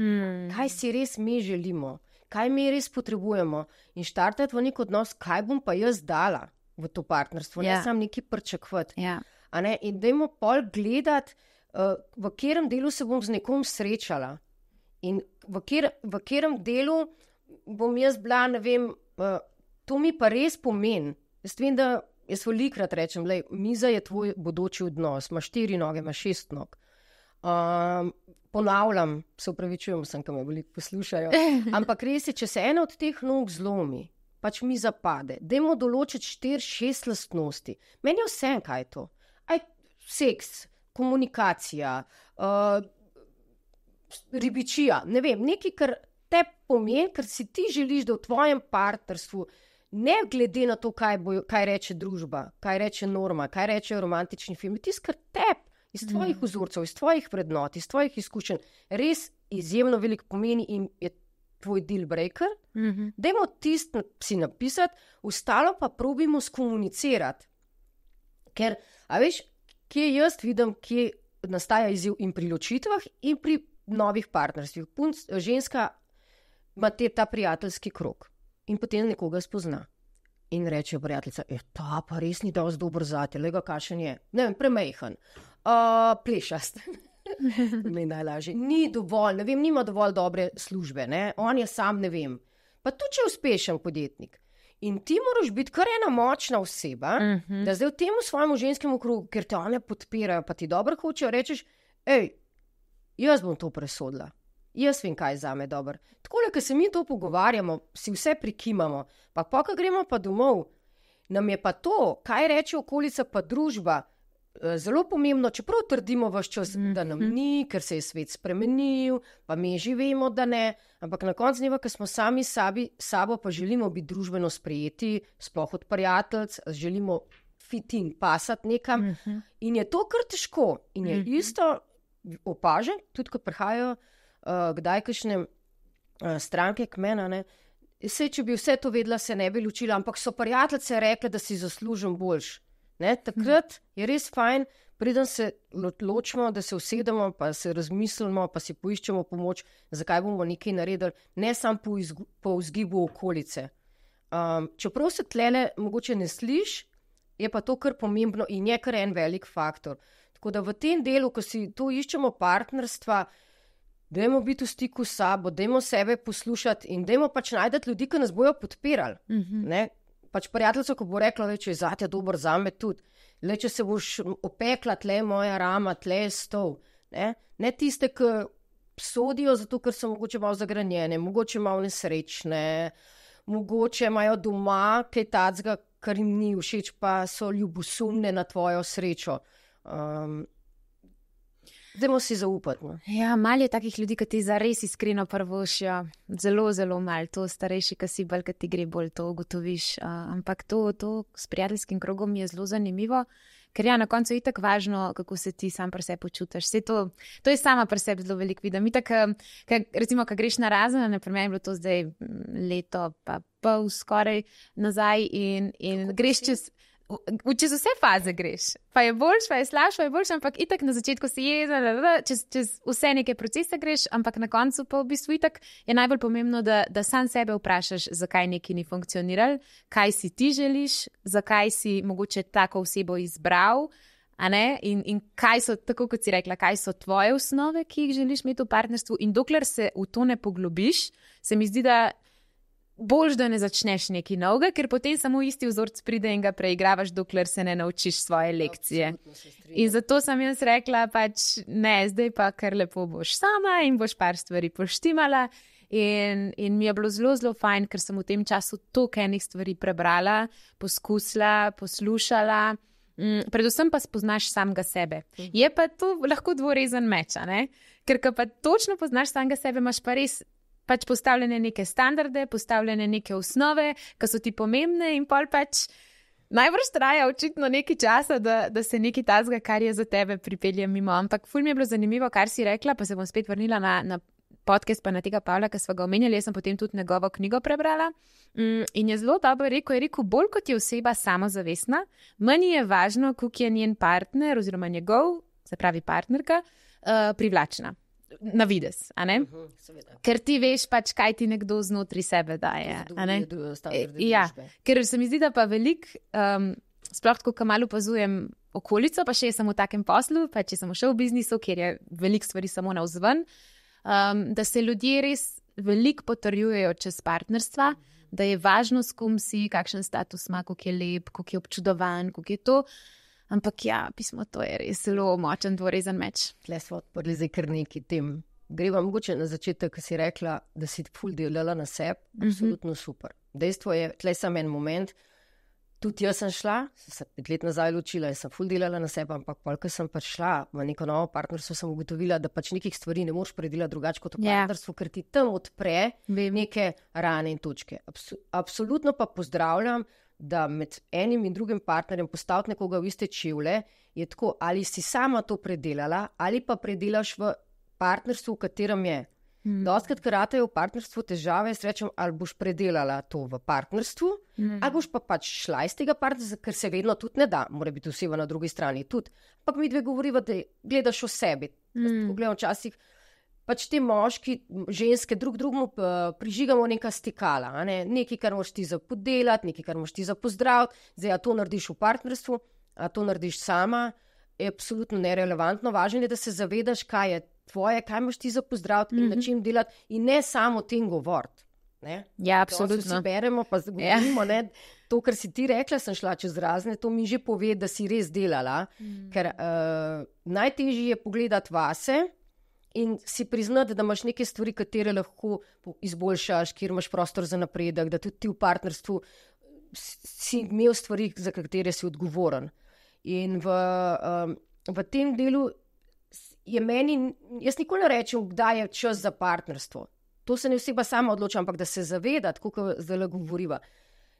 Kaj si res mi želimo, kaj mi res potrebujemo in štartati v nek odnos, kaj bom pa jaz dala v to partnerstvo, ne samo nekaj pričakovati. In dajmo pol gledati, v katerem delu se bom z nekom srečala in v katerem delu bom jaz bila, ne vem, to mi pa res pomeni. Jaz vem, da jaz velikrat rečem, miza je tvoj bodoči odnos, imaš 4 noge, imaš 6 nog. Ponavljam, se upravičujem, ki me veliko poslušajo, ampak res je, če se ena od teh nog zlomi, pač mi zapade. Dajmo določiti 4-6 lastnosti. Meni je vse, kaj je to. Seks, komunikacija, ribičija, ne vem, nekaj, kar te pomeni, ker si ti želiš, da v tvojem partnerstvu, ne glede na to, kaj reče družba, kaj reče norma, kaj reče romantični film, tisto, kar tebi iz tvojih vzorcev, iz tvojih vrednot, iz tvojih izkušenj, res izjemno veliko pomeni in je tvoj deal breaker, dajmo tisto si napisati, ostalo pa probimo skomunicirati. Ker, a veš, kje jaz vidim, kje nastaja izziv in pri ločitvah in pri novih partnerstvih. Ženska ima ta prijateljski krog in potem nekoga spozna. In reče prijateljica, ta pa res ni dosti dober zate, lega kakšen je. Ne vem, premejhan, plešast. Mi najlažje. Ni dovolj, ne vem, nima dovolj dobre službe, ne? On je sam, ne vem. Pa tudi, če je uspešen podjetnik. In ti moraš biti kar ena močna oseba, da zdaj v tem svojemu ženskemu krogu, ker te one podpirajo, pa ti dobro hočejo, rečeš, jaz bom to presodila. Jaz vem, kaj je zame dobro. Takole, ko se mi to pogovarjamo, si vse prikimamo, pa ko gremo pa domov, nam je pa to, kaj reče okolica pa družba, zelo pomembno, čeprav trdimo vaš čas, da nam ni, ker se je svet spremenil, pa mi živimo, da ne, ampak na koncu dneva, ko smo sami sabo, pa želimo biti družbeno sprejeti, sploh od prijateljc, želimo fit in pasati nekam, in je to kar težko. In je isto opažen, tudi ko prihajajo kdaj kakšne stranke k meni, saj, če bi vse to vedela, se ne bi ločila, ampak so prijateljice rekle, da si zaslužim boljš. Takrat je res fajn, preden se ločimo, da se usedemo, pa se razmislimo, pa si poiščemo pomoč, zakaj bomo nekaj naredili, ne samo po vzgibu okolice. Čeprav se tlele mogoče ne sliš, je pa to kar pomembno in je kar en velik faktor. Tako da v tem delu, ko si to iščemo partnerstva, dajmo biti v stiku s sabo, dajmo sebe poslušati in dajmo pač najdeti ljudi, ki nas bojo podpirali. Pač prijateljica, ko bo rekla, če je zate dober, zame tudi. Če se boš opekla, tle je moja rama, tle je stol. Ne tiste, ki sodijo zato, ker so mogoče malo zagranjene, mogoče malo nesrečne, mogoče imajo doma kaj tacga, kar jim ni všeč, pa so ljubosumne na tvojo srečo. Dajmo si zaupati. No? Ja, malo je takih ljudi, ki ti zares iskreno prvošijo. Zelo, zelo malo. To starejši, ki si bolj, ki ti gre bolj, to ugotoviš. Ampak to s prijateljskim krogom je zelo zanimivo, ker na koncu je itak važno, kako se ti sam pri sebi počutiš. To je sama pri sebi zelo veliko vidim. Itak, recimo, ko greš na razen, naprimer je bilo to zdaj leto pa pol skoraj nazaj in greš čez vse faze greš. Pa je boljš, pa je slabš, pa je boljš, ampak itak na začetku si čez vse neke procese greš, ampak na koncu pa v bistvu itak je najbolj pomembno, da sam sebe vprašaš, zakaj nekaj ni funkcioniral, kaj si ti želiš, zakaj si mogoče tako osebo izbral, a ne? In kaj so, tako kot si rekla, kaj so tvoje osnove, ki jih želiš imeti v partnerstvu, in dokler se v to ne poglobiš, se mi zdi, da boljš, da ne začneš nekaj novega, ker potem samo isti vzorc pride in ga preigravaš, dokler se ne naučiš svoje lekcije. In zato sem jaz rekla, pač ne, zdaj pa kar lepo boš sama in boš par stvari poštimala. In mi je bilo zelo, zelo fajn, ker sem v tem času toliko enih stvari prebrala, poskusila, poslušala, predvsem pa spoznaš samega sebe. Je pa to lahko dvorezen meč, ne? Ker pa točno poznaš samega sebe, imaš pa res pač postavljene neke standarde, postavljene neke osnove, ki so ti pomembne in pol pač najbrž traja očitno nekaj časa, da se nekaj tazga, kar je za tebe pripelje mimo. Ampak ful mi je bilo zanimivo, kar si rekla, pa se bom spet vrnila na podcast pa na tega Pavla, ki sva ga omenjali, jaz sem potem tudi njegovo knjigo prebrala in je zelo dobro rekel, bolj kot je oseba samozavestna, manj je važno, koliko je njen partner oziroma njegov, se pravi partnerka, privlačna. Na vides, a ne? Ker ti veš pač, kaj ti nekdo znotri sebe daje. Ja, ker se mi zdi, da pa veliko, sploh tako, ko malo opazujem okolico, pa še sem v takem poslu, pa če sem še v biznisu, kjer je veliko stvari samo navzven, da se ljudje res veliko potrjujejo čez partnerstva, da je važno, s kom si, kakšen status ima, koliko je lep, koliko je občudovan, koliko je to. Ampak ja, pismo, to je res zelo močen dvorezen meč. Tle smo odprli zdaj kar nekaj tem. Greva mogoče na začetek, ko si rekla, da si ful delala na sebi, absolutno super. dejstvo je, tlej sem en moment, tudi jaz sem šla, sem 5 let nazaj ločila in sem ful delala na sebe, ampak ko sem pač šla v neko novo partnerstvo, sem ugotovila, da pač nekih stvari ne moreš predelati drugače kot v partnerstvu, ker ti tam odpre neke rane in točke. Absolutno pa pozdravljam, da med enim in drugim partnerjem postaviti nekoga v iste čevlje, je tako, ali si sama to predelala, ali pa predelaš v partnerstvu, v katerem je. Dostikrat, ker ratejo v partnerstvu težave, jaz rečem, ali boš predelala to v partnerstvu, ali boš pa pač šla iz tega partnerstva, ker se vedno tudi ne da, mora biti oseba na drugi strani tudi. Ampak mi dve govoriva, da gledaš o sebi. Pogledam včasih, pač te moški, ženske drugemu prižigamo neka stikala, nekaj, kar moraš ti za podelati, nekaj, kar moraš ti za pozdraviti, zdaj, a to narediš v partnerstvu, a to narediš sama, je absolutno nerelevantno. Važno je, da se zavedaš, kaj je tvoje, kaj imaš ti za pozdraviti in na čem delati in ne samo o tem govoriti. Ja, absolutno. To si beremo, pa govorimo, to, kar si ti rekla, sem šla čez razne, to mi že pove, da si res delala, ker najtežje je pogledati vase in si priznati, da imaš neke stvari, katere lahko izboljšaš, kjer imaš prostor za napredek, da tudi ti v partnerstvu si imel stvari, za katere si odgovoren. In v tem delu je meni, jaz nikoli ne rečem, kdaj je čas za partnerstvo. To se ne oseba sama odloča, ampak da se zaveda, tako kot zdaj govoriva,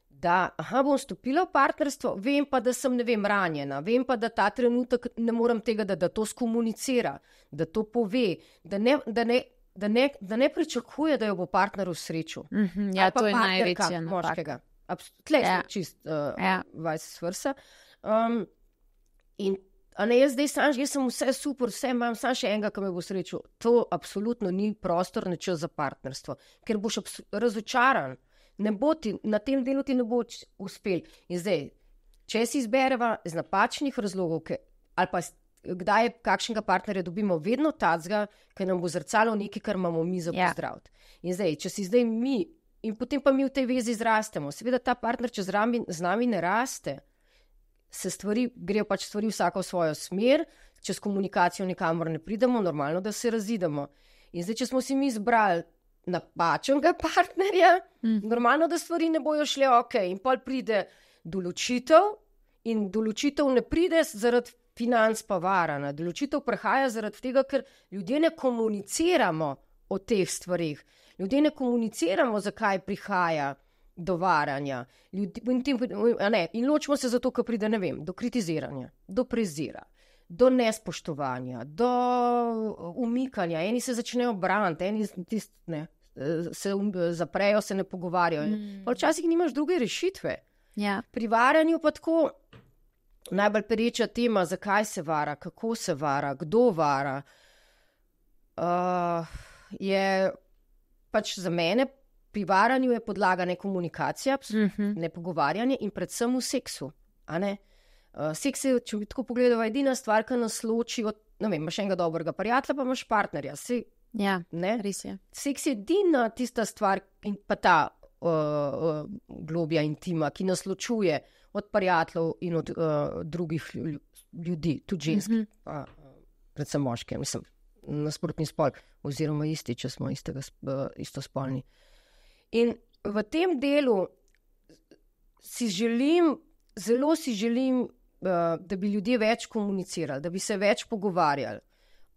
da bom stopila v partnerstvo, vem pa, da sem, ranjena, vem pa, da ta trenutek ne morem tega, da to skomunicira, da to pove, da ne pričakuje, da jo bo partner v srečo. Ja, to je največja moškega. Tlej smo čist vice versa. In jaz sem vse super, vse imam, sam še enega, ki me bo srečo. To absolutno ni prostor, ne čas za partnerstvo, ker boš razočaran. Na tem delu ti ne bo uspel. In zdaj, če si izbereva iz napačnih razlogov, ali pa kdaj kakšnega partnerja dobimo, vedno tacga, ker nam bo zrcalo nekaj, kar imamo mi za pozdraviti. In zdaj, če si zdaj mi, in potem pa mi v tej vezi zrastemo, seveda ta partner, če z nami ne raste, grejo pač stvari vsaka v svojo smer, čez komunikacijo nikamor ne pridemo, normalno, da se razidemo. In zdaj, če smo si mi izbrali napačnega partnerja, normalno, da stvari ne bojo šle in pol pride določitev in določitev ne pride zaradi financ pa varana. Določitev prihaja zaradi tega, ker ljudje ne komuniciramo o teh stvarih. Ljudje ne komuniciramo, zakaj prihaja do varanja. In ločimo se zato, ker pride, do kritiziranja, do prezira, do nespoštovanja, do umikanja. Eni se začnejo braniti, eni se zaprejo, se ne pogovarjajo. Pa včasih nimaš druge rešitve. Ja. Pri varanju pa tako najbolj pereča tema, zakaj se vara, kako se vara, kdo vara, je pač za mene pri varanju je podlaga ne komunikacija, ne pogovarjanje in predvsem v seksu. Seks je, če bi tako pogledala, edina stvar, ki nas loči od, imaš enega dobrega prijatelja, pa imaš partnerja. Res je. Seks je edina tista stvar in pa ta globja intima, ki nas ločuje od prijateljev in od drugih ljudi, tudi ženski, predvsem moške, nasprotni spol, oziroma isti, če smo istospolni. In v tem delu zelo si želim, da bi ljudje več komunicirali, da bi se več pogovarjali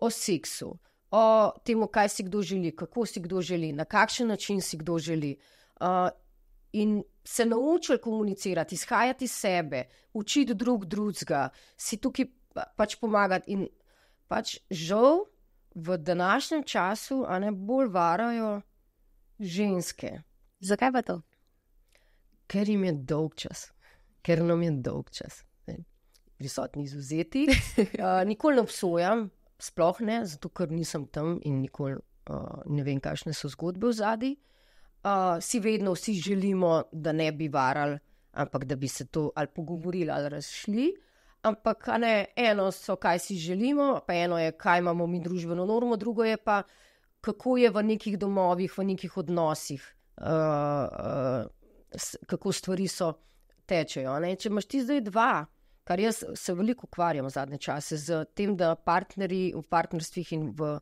o seksu, o tem, kaj si kdo želi, kako si kdo želi, na kakšen način si kdo želi. In se naučili komunicirati, izhajati iz sebe, učiti drugega, si tukaj pač pomagati. In pač žal v današnjem času bolj varajo ženske. Zakaj pa to? Ker jim je dolg čas. Ker nam je dolg čas. Prisotni izvzeti. Nikoli ne obsojam, sploh ne, zato ker nisem tam in nikoli ne vem, kakšne so zgodbe v zadnji. Vedno vsi želimo, da ne bi varali, ampak da bi se to ali pogovorili ali razšli. Ampak eno so, kaj si želimo, pa eno je, kaj imamo mi družbeno normo, drugo je pa, kako je v nekih domovih, v nekih odnosih, kako stvari tečejo. Če imaš ti zdaj dva, kar jaz se veliko ukvarjam v zadnje čase, z tem, da partnerji v partnerstvih in v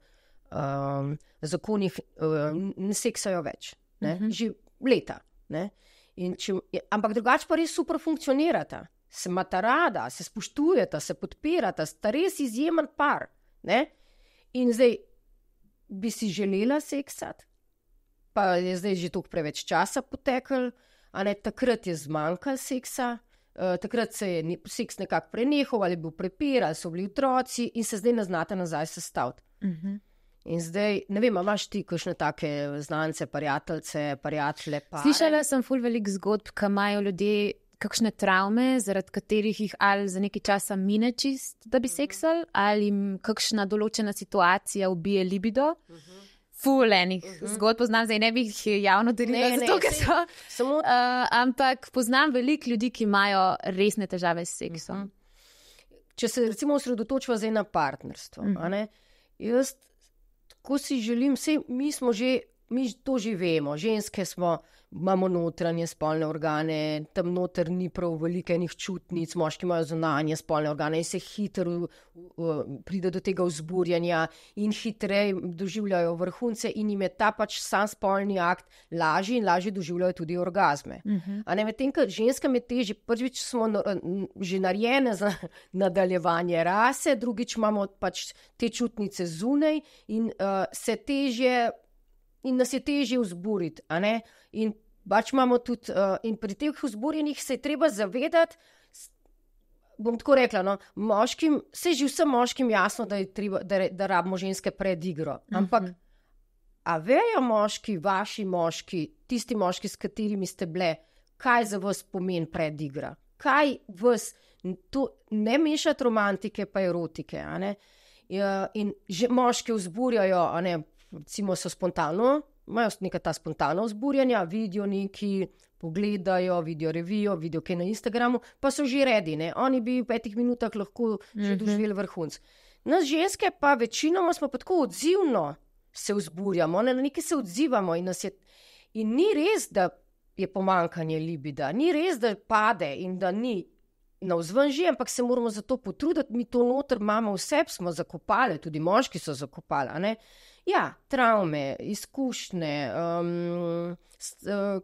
zakonih ne seksajo več, že leta. Ampak drugače pa res super funkcionirata. Se imata rada, se spoštujeta, se podpirata, sta res izjemen par. Ne? In zdaj bi si želela seksati, pa je zdaj že toliko preveč časa potekal, takrat je zmanjkal seksa, takrat se je seks nekako prenehal, ali je bil prepir, ali so bili otroci in se zdaj ne znata nazaj sestaviti. In zdaj, ne vem, imaš ti kakšne take znance, prijatelje? Slišala sem ful veliko zgodb, ki imajo ljudje kakšne travme, zaradi katerih jih ali za nekaj časa mine čist, da bi seksali, ali jim kakšna določena situacija ubije libido. Ful enih zgodb poznam, zdaj ne bi jih javno delila, zato ker so. Ampak poznam veliko ljudi, ki imajo resne težave s seksom. Če se recimo osredotočiva zdaj na partnerstvo, jaz tako si želim, mi to že vemo, ženske imamo notranje spolne organe, tam noter ni prav veliko enih čutnic, moški imajo zunanje spolne organe in se hitro pride do tega vzburjanja in hitreje doživljajo vrhunce in jim je ta pač sam spolni akt lažji in lažje doživljajo tudi orgazme. Medtem, ko ženskam je težje, prvič smo že narejene za nadaljevanje rase, drugič imamo pač te čutnice zunaj in se težje in nas je težje vzburiti, in pač imamo tudi, in pri teh vzburjenih se je treba zavedati, bom tako rekla, moškim, se že vsem moškim jasno, da je treba, da rabimo ženske pred igro, ampak a vejo moški, vaši moški, tisti moški, s katerimi ste bile, kaj za vas pomeni pred igra? Kaj vas, to ne mešati romantike pa erotike, in že moške vzburjajo, recimo so spontano, imajo neka ta spontana vzburjanja, vidijo neki, pogledajo, vidijo revijo, vidijo kaj na Instagramu, pa so že redi, oni bi v 5 minutah lahko že doživeli vrhunc. Nas ženske pa večinoma smo pa tako odzivno se vzburjamo, na nekaj se odzivamo in ni res, da je pomanjkanje libida, ni res, da pade in da ni navzven že, ampak se moramo za to potruditi, mi to noter imamo vse, smo zakopali, tudi moški so zakopali, Ja, travme, izkušnje,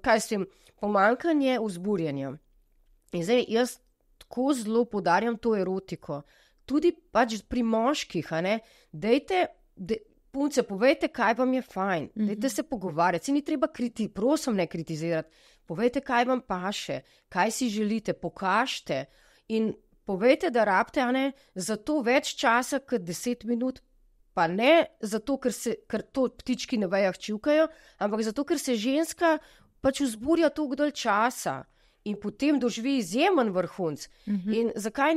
kaj s tem, pomanjkanje vzburjenja. In zdaj jaz tako zelo poudarjam to erotiko. Tudi pač pri moških, punce, povejte, kaj vam je fajn, dajte se pogovarjati, se ni treba prosim ne kritizirati, povejte, kaj vam paše, kaj si želite, pokažite in povejte, da rabite, za to več časa kot 10 minut, pa ne zato, ker to ptički na vejah čivkajo, ampak zato, ker se ženska pač vzburja toliko dalj časa in potem doživi izjemen vrhunc. In zakaj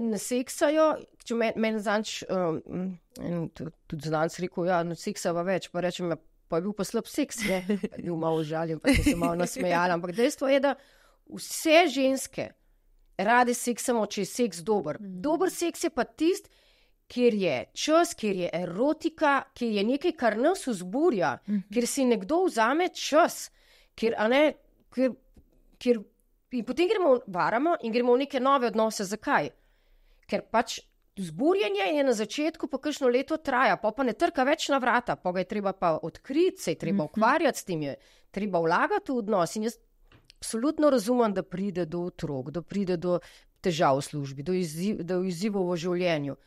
ne seksajo? Če meni zanč, tudi znanc rekel, seksava več, pa rečem, pa je bil pa slab seks, bil malo žaljen, pa sem se malo nasmejala, ampak dejstvo je, da vse ženske rade seksamo, če je seks dober. Dober seks je pa tist, kjer je čas, kjer je erotika, kjer je nekaj, kar nas vzburja, kjer si nekdo vzame čas, in potem varamo in gremo v neke nove odnose. Zakaj? Ker pač vzburjenje je na začetku, pa kakšno leto traja, pa ne trka več na vrata, pa ga je treba pa odkriti, se je treba ukvarjati s tem, je treba vlagati v odnos. In jaz absolutno razumem, da pride do otrok, da pride do težav v službi, do izzivov v življenju.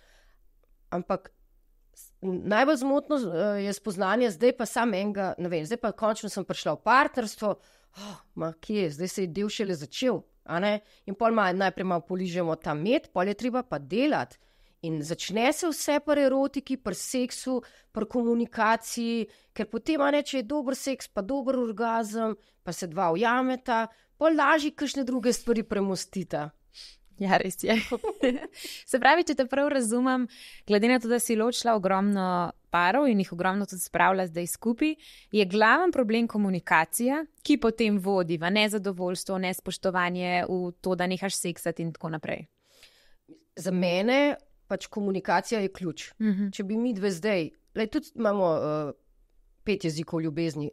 Ampak najbolj zmotno je spoznanje, zdaj pa sam enega, ne vem, zdaj pa končno sem prišla v partnerstvo, zdaj se je del šele začel, in pol najprej malo poližemo ta med, pol je treba pa delati in začne se vse pri erotiki, pri seksu, pri komunikaciji, ker potem, če je dober seks, pa dober orgazem, pa se dva ujameta, pol lažje kakšne druge stvari premostita. Ja, res je. Se pravi, če te prav razumem, glede na to, da si ločila ogromno parov in jih ogromno tudi spravila zdaj skupaj, je glaven problem komunikacija, ki potem vodi v nezadovoljstvo, nespoštovanje, v to, da nehaš seksati in tako naprej. Za mene pač komunikacija je ključ. Če bi mi dve zdaj, tudi imamo 5 jezikov ljubezni.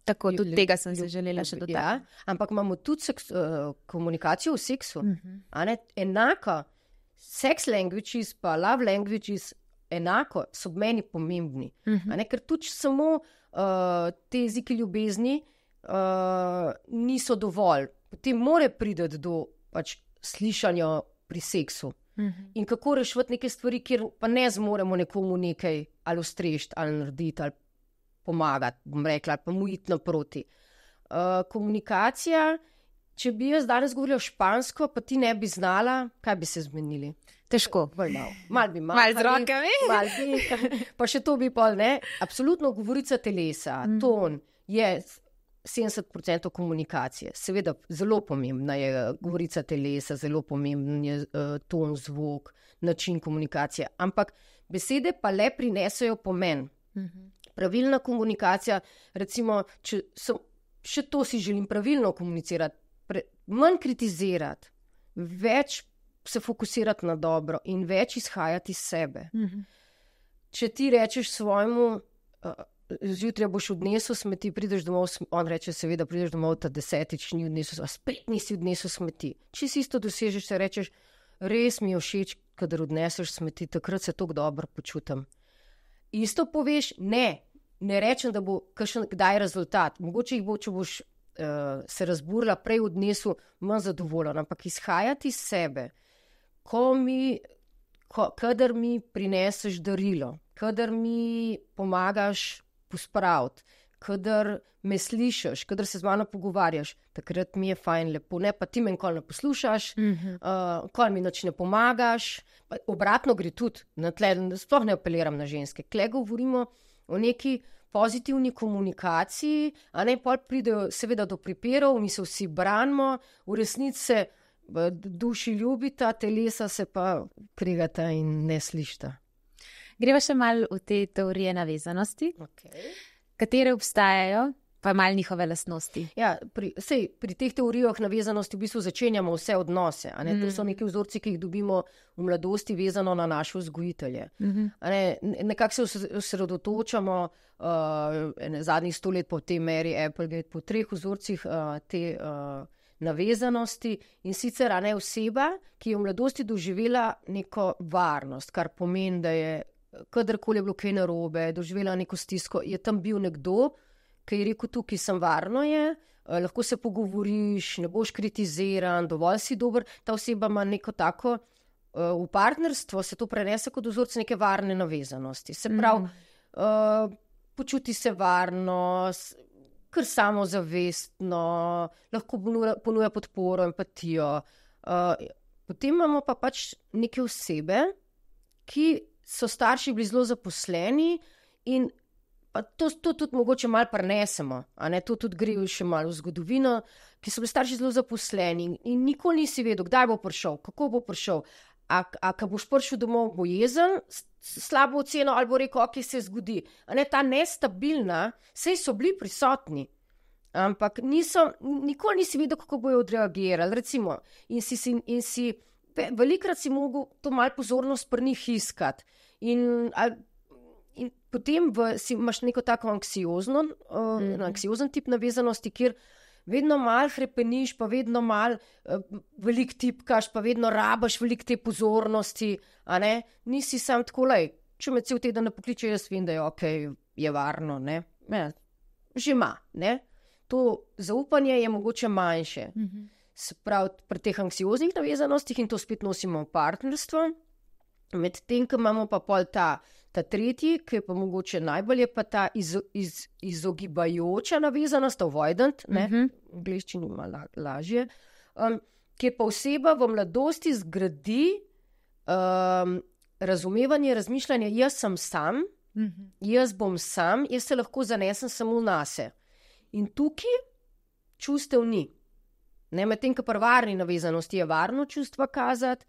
Tako, tudi tega sem se želela še dodati. Ja, ampak imamo tudi komunikacijo v seksu. Enako, sex languages pa love languages enako so meni pomembni. Ker tudi samo te jeziki ljubezni niso dovolj. Potem mora priti do pač slišanja pri seksu. In kako rešiti neke stvari, kjer pa ne zmoremo nekomu nekaj ali ustrešiti, ali narediti, ali pomagati, bom rekla, ali pa mu iti naproti. Komunikacija, če bi jaz danes govorila špansko, pa ti ne bi znala, kaj bi se zmenili? Težko. Mal bi Mal z rokami. Mal bi, pa še to bi pol, ne? Absolutno govorica telesa, ton je 70% komunikacije. Seveda, zelo pomembna je govorica telesa, zelo pomemben je ton, zvok, način komunikacije. Ampak besede pa le prinesejo pomen. Pravilna komunikacija, recimo, še to si želim pravilno komunicirati, manj kritizirati, več se fokusirati na dobro in več izhajati iz sebe. Če ti rečeš svojemu, zjutraj boš odnesel smeti, prideš domov, on reče seveda, prideš domov ta 10-tič, ni odnesel, a spet nisi odnesel smeti. Če si isto dosežeš, se rečeš, res mi je všeč, kadar odneseš smeti, takrat se tako dobro počutim. Isto poveš, ne rečem, da bo kakšen kdaj rezultat. Mogoče jih bo, če boš se razburila, prej odnesel, manj zadovoljen, ampak izhajati iz sebe, kadar mi prineseš darilo, kadar mi pomagaš pospraviti, kadar me slišiš, kadar se z mano pogovarjaš, takrat mi je fajn, lepo, ne, pa ti me nikoli ne poslušaš, nikoli mi nič ne pomagaš, obratno gre tudi, sploh ne apeliram na ženske, tle govorimo o neki pozitivni komunikaciji, a ne, pol pridejo seveda do pripirov, mi se vsi branimo, v resnici se v duši ljubita, telesa se pa kregata in ne slišta. Greva še malo v te teorije navezanosti, katere obstajajo, pa malo njihove lastnosti. Ja, pri teh teorijah navezanosti v bistvu začenjamo vse odnose. A ne? To so neki vzorci, ki jih dobimo v mladosti vezano na naše vzgojitelje. Nekako se osredotočamo zadnjih 100 let po tej meri Applegate, po 3 vzorcih te navezanosti in sicer oseba, ki je v mladosti doživela neko varnost, kar pomeni, da je kadarkoli je bilo kaj narobe, doživela neko stisko, je tam bil nekdo, ki je rekel, tukaj sem varno je, lahko se pogovoriš, ne boš kritiziran, dovolj si dober, ta oseba ima neko tako, v partnerstvo se to prenese kot vzorce neke varne navezanosti. Se pravi, počuti se varno, kar samozavestno, lahko ponuja podporo, empatijo. Potem imamo pa pač neke osebe, ki so starši bili zelo zaposleni in pa to tudi mogoče malo prenesemo, a ne, to tudi gre še malo v zgodovino, ki so bili starši zelo zaposleni in nikoli nisi vedel, kdaj bo prišel, kako bo prišel, a ko boš prišel domov, bo jezen, slabo oceno ali bo rekel, ok, se zgodi. A ne, ta nestabilna, sej so bili prisotni, ampak nikoli nisi vedel, kako bojo odreagirali, recimo, in si velikrat si mogel to malo pozornost pri njih iskati. In potem imaš neko tako anksiozen tip navezanosti, kjer vedno malo hrepeniš, pa vedno malo veliko tipkaš, pa vedno rabaš veliko te pozornosti, a ne? Nisi sam tako, če me cel teden ne pokliče, jaz vem, da je okej, je varno, ne? Že ima, ne? To zaupanje je mogoče manjše. Se pravi, pri teh anksioznih navezanostih in to spet nosimo v partnerstvo, medtem, ko imamo pa pol ta tretji, ki je pa mogoče najbolj, je pa ta izogibajoča navezanost, avoidant, ne, v angleščini ima lažje, kjer pa oseba v mladosti zgradi razumevanje, razmišljanje, jaz sem sam, jaz bom sam, jaz se lahko zanesem samo nase. In tukaj čustev ni. Medtem, ko pri varni navezanosti je varno čustva kazati,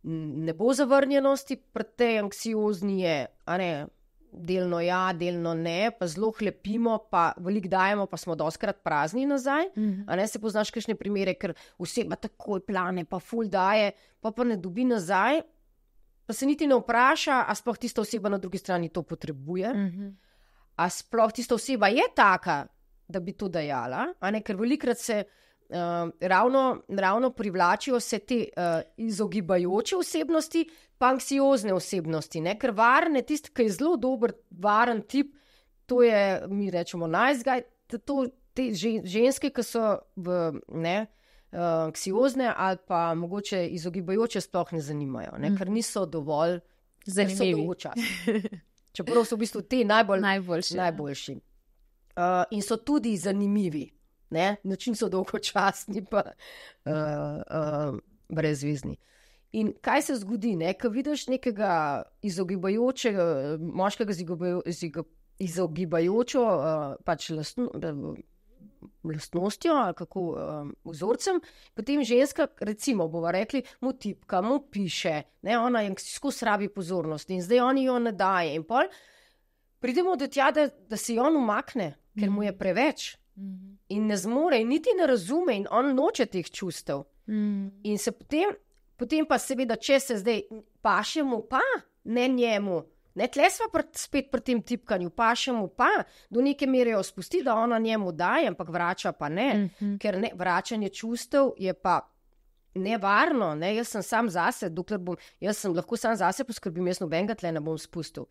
ne bo zavrnjenosti, pri tej anksiozni je, a ne, delno ja, delno ne, pa zelo hlepimo, pa veliko dajemo, pa smo dostikrat prazni nazaj, a ne, se poznaš kakšne primere, ker oseba takoj plane, pa ful daje, pa ne dobi nazaj, pa se niti ne vpraša, a sploh tista oseba na drugi strani to potrebuje, a sploh tista oseba je taka, da bi to dajala, a ne, ker velikrat se ravno privlačijo se te izogibajoče osebnosti, pa anksiozne osebnosti, ne? Ker varne, tisti, ki je zelo dober, varen tip, to je, mi rečemo nice guy, to te ženske, ki so anksiozne ali pa mogoče izogibajoče, sploh ne zanimajo, ker niso dovolj zanimivi. Čeprav so v bistvu te najboljši. In so tudi zanimivi. Način so dolgočasni, pa brezvezni. In kaj se zgodi, ko vidiš nekega izogibajočega, moškega izogibajočo pač lastnostjo ali kako vzorcem, potem ženska, recimo, bova rekli, mu tipka, mu piše, ona je skozi rabi pozornost in zdaj oni jo ne daje. In pol pridemo do tja, da se on umakne, ker mu je preveč. In ne zmore, in niti ne razume, in on noče teh čustev. In se potem pa seveda, če se zdaj paše mu pa, ne njemu, tle sva spet pri tem tipkanju, paše mu pa, do neke mere jo spusti, da ona njemu daje, ampak vrača pa ne, ker vračanje čustev je pa nevarno, jaz sem sam zase, jaz sem lahko sam zase poskrbim, jaz nobenega tle ne bom spustil.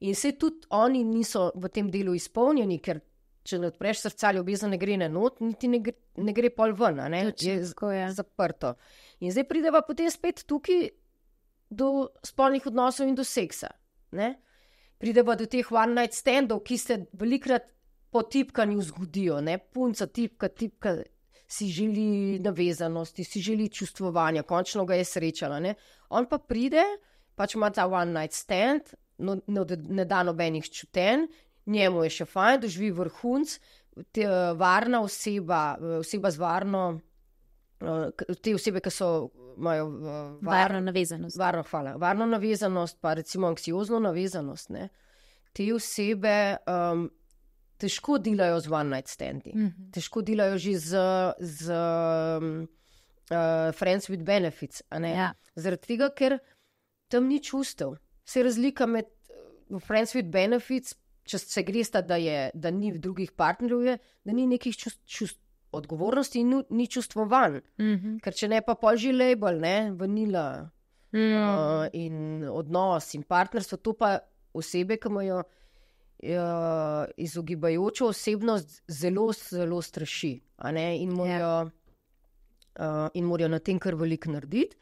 In se tudi oni niso v tem delu izpolnjeni, ker če ne odpreš srca, ljubezen ne gre na not, niti ne gre pol ven, je zaprto. In zdaj prideva potem spet tukaj do spolnih odnosov in do seksa. Prideva do teh one night standov, ki se velikrat po tipkanju zgodijo. Punca tipka, si želi navezanosti, si želi čustvovanja, končno ga je srečala. On pa pride, pač ima ta one night stand, ne da nobenih čutenj, njemu je še fajn, doživi vrhunc, varna oseba z varno, te osebe, ki imajo varno navezanost. Varno navezanost, pa recimo anksiozno navezanost. Te osebe težko delajo z one night standi. Težko delajo že z friends with benefits. Zaradi tega, ker tam ni čustev. Vse razlika med friends with benefits, če se gresta, da ni drugih partnerjev, da ni nekih odgovornosti in ni čustvovanj. Ker če ne pa pol že label, vanila in odnos in partnerstvo, to pa osebe, ki imajo izogibajočo osebnost, zelo, zelo straši. In morajo na tem kar veliko narediti.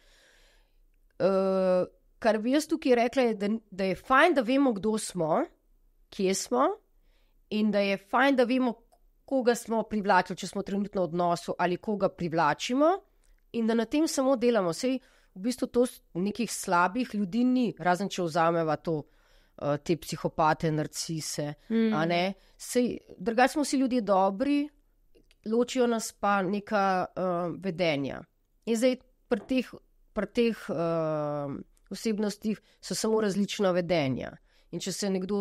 Kar bi jaz tukaj rekla, je, da je fajn, da vemo, kdo smo, kje smo, in da je fajn, da vemo, koga smo privlačili, če smo trenutno v odnosu, ali koga privlačimo, in da na tem samo delamo. Sej v bistvu to nekih slabih ljudi ni, razen če vzameva te psihopate, narcise. Drugače smo vsi ljudje dobri, ločijo nas pa neka vedenja. In zdaj pri teh osebnostih so samo različna vedenja. In če se nekdo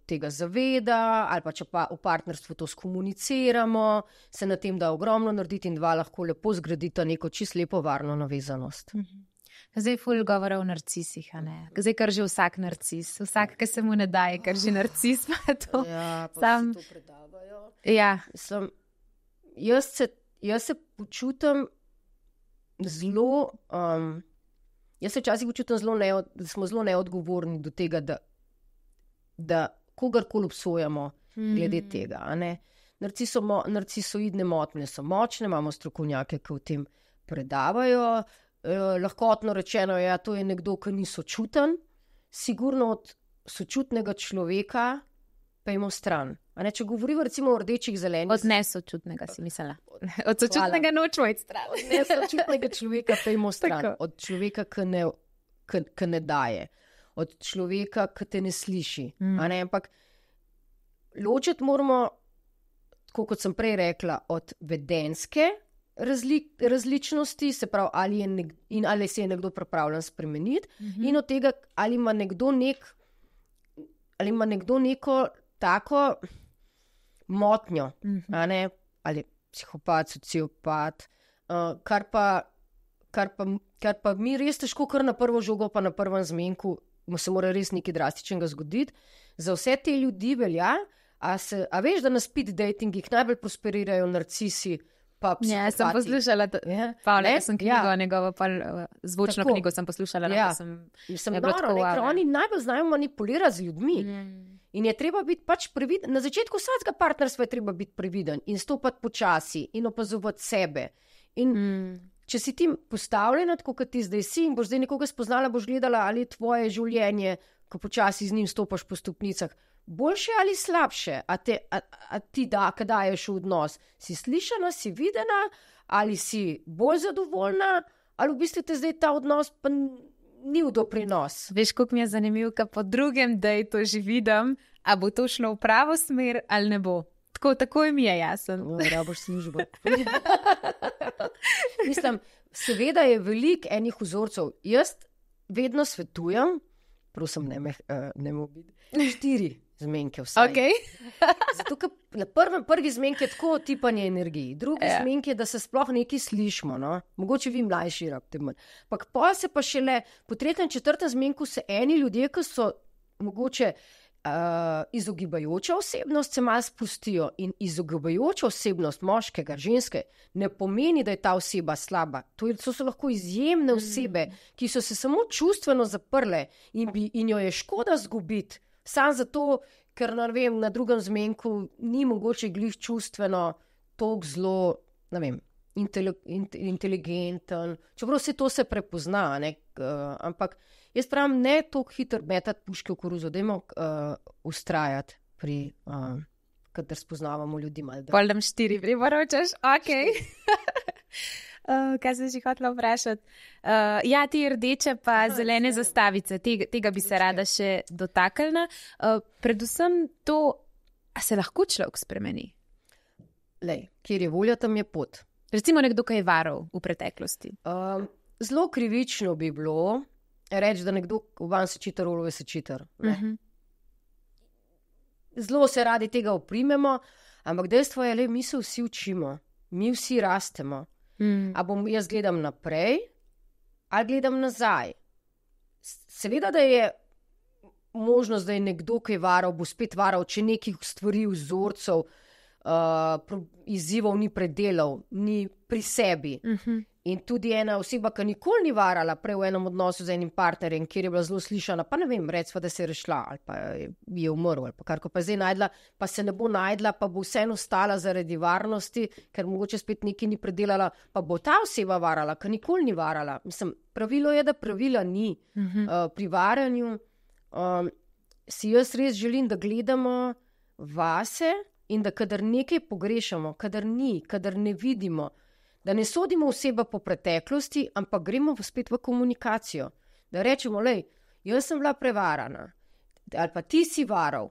tega zaveda, ali pa če pa v partnerstvu to skomuniciramo, se na tem da ogromno narediti in dva lahko lepo zgradita neko čisto lepo varno navezanost. Zdaj ful govora o narcisih, Zdaj kar že vsak narcis, vsak, ki se mu ne daje, kar že narcis pa to. Ja, pa se to predavajo. Ja. Jaz se počutim zelo, jaz se včasih počutim da smo zelo neodgovorni do tega, da kogarkoli obsojamo glede tega. Narcisoidne motnje so močne, imamo strokovnjake, ki o tem predavajo. Lahkotno rečeno je, to je nekdo, ki ni sočuten, sigurno od sočutnega človeka pejmo stran. Če govorimo recimo o rdečih, zelenih... Od nesočutnega si mislila. Od sočutnega nočemo iti stran. Od nesočutnega človeka pejmo stran. Od človeka, ki ne daje. Od človeka, ki te ne sliši. Ampak ločiti moramo, tako kot sem prej rekla, od vedenjske različnosti, se pravi, ali se je nekdo pripravljen spremeniti, in od tega, ali ima nekdo neko tako motnjo, ali psihopat, sociopat, kar pa mi res težko kar na prvo žogo, pa na prvem zmenku, se mora res nekaj drastičnega zgoditi. Za vse te ljudi velja, a veš, da na speed datingih najbolj prosperirajo narcisi, pa psihopati. Ja, sem poslušala, sem knjigo njegovo, zvočno knjigo sem poslušala. Ker oni najbolj znajo manipulirati z ljudmi. In je treba biti pač previden. Na začetku vsakega partnerstva je treba biti previden in stopati počasi in opazovati sebe. In če si ti postavljena, tako kot ti zdaj si, in boš zdaj nekoga spoznala, boš gledala, ali je tvoje življenje, ko počasi z njim stopaš po stopnicah, boljše ali slabše, a ti daješ v odnos. Si slišana, si videna, ali si bolj zadovoljna, ali v bistvu te zdaj ta odnos pa ni v doprinos. Veš, koliko mi je zanimivo, ko po drugem dejtu že vidim, a bo to šlo v pravo smer ali ne bo. Takoj mi je jasen. Raboš službo. Mislim, seveda je veliko enih vzorcev. Jaz vedno svetujem, prosim, ne mobi, 4 zmenke vsaj. Okay. Zato, ker na prvi zmenk je tako tipanje energiji, drugi zmenk je, da se sploh nekaj slišimo, no? Mogoče vi mlajši rabite manj. Pa se pa šele po 3., 4. zmenku se eni ljudje, ki so mogoče izogibajoča osebnost, se malo spustijo, in izogibajoča osebnost moškega, ženske, ne pomeni, da je ta oseba slaba. To so lahko izjemne osebe, ki so se samo čustveno zaprle in jo je škoda zgubiti, samo zato, ker na drugem zmenku ni mogoče glih čustveno toliko zelo, inteligenten, čeprav vse to se prepozna, ampak jaz pravim, ne toliko hitro metati puške v koruzo, dajmo ustrajati pri, kadar spoznavamo ljudi malo. Poldam 4 priporočaš, ok. Kaj sem že hotela vprašati? Ti rdeče pa zelene zastavice, tega bi se rada še dotaknila. Predvsem to, a se lahko človek spremeni? Lej, kjer je volja, tam je pot. Recimo nekdo, ki je varal v preteklosti. Zelo krivično bi bilo reči, da nekdo van se čitar, olove se čitar. Zelo se radi tega oprimemo, ampak dejstvo je, le, mi se vsi učimo, mi vsi rastemo. A jaz gledam naprej, ali gledam nazaj. Seveda, da je možnost, da je nekdo, ki je varal, bo spet varal, če nekih stvari, vzorcev, izzivov ni predelal, ni pri sebi. In tudi ena oseba, ki nikoli ni varala prej v enem odnosu z enim partnerjem, kjer je bila zelo slišana, pa ne vem, recimo, da se je rešila ali pa je umrl ali pa kar, ko pa je zdaj najdla, pa se ne bo najdla, pa bo vseeno ostala zaradi varnosti, ker mogoče spet nekaj ni predelala, pa bo ta oseba varala, ki nikoli ni varala. Mislim, pravilo je, da pravila ni. Pri varanju si jaz res želim, da gledamo vase in da kadar nekaj pogrešamo, kadar ne vidimo, da ne sodimo oseba po preteklosti, ampak gremo spet v komunikacijo. Da rečemo, lej, jaz sem bila prevarana, ali pa ti si varal,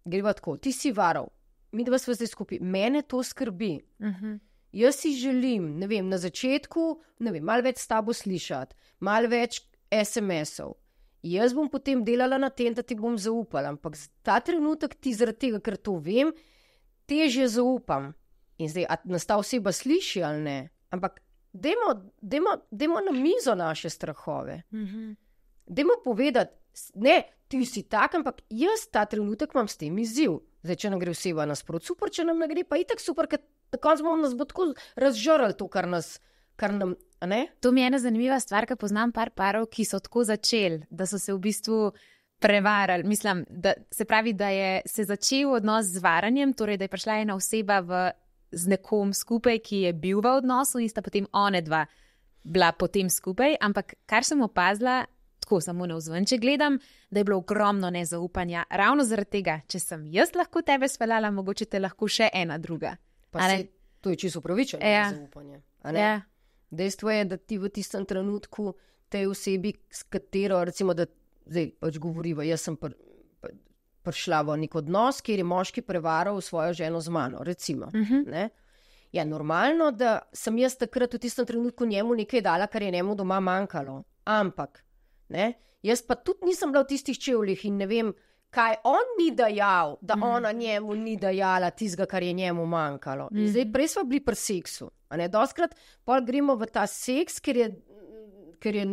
greva tako, ti si varal, mi dva sva zdaj skupaj, mene to skrbi. Jaz si želim, ne vem, na začetku, ne vem, malo več s tabo slišati, malo več SMS-ov. Jaz bom potem delala na tem, da ti bom zaupala, ampak ta trenutek ti zaradi tega, ker to vem, težje zaupam. In zdaj, a nas ta oseba sliši ali ne, ampak dajmo na mizo naše strahove. Dajmo povedati, ne, ti si tak, ampak jaz ta trenutek imam s tem izziv. Zdaj, če nam gre oseba nasprot, super, če nam ne gre, pa itak super, ker tako nas bo tako razžrali to, kar nam, a ne? To mi je ena zanimiva stvar, ker poznam par parov, ki so tako začeli, da so se v bistvu prevarali. Mislim, da se pravi, da je se začel odnos z varanjem, torej, da je prišla ena oseba z nekom skupaj, ki je bil v odnosu in sta potem one dva bila potem skupaj, ampak kar sem opazila, tako samo navzven, če gledam, da je bilo ogromno nezaupanja. Ravno zaradi tega, če sem jaz lahko tebe speljala, mogoče te lahko še ena druga. Pa to je čisto upravičeno nezaupanje. Dejstvo je, da ti v tistem trenutku tej osebi, s katero, recimo, da zdaj pač govoriva, jaz sem prišla v nek odnos, kjer je moški prevaral svojo ženo z mano, recimo. Ne? Ja, normalno, da sem jaz takrat v tistem trenutku njemu nekaj dala, kar je njemu doma manjkalo. Ampak, ne? Jaz pa tudi nisem bila v tistih čevljih in ne vem, kaj on ni dajal, da ona njemu ni dajala tistega, kar je njemu manjkalo. Zdaj, prej smo bili pri seksu. Dostkrat pol gremo v ta seks, ker je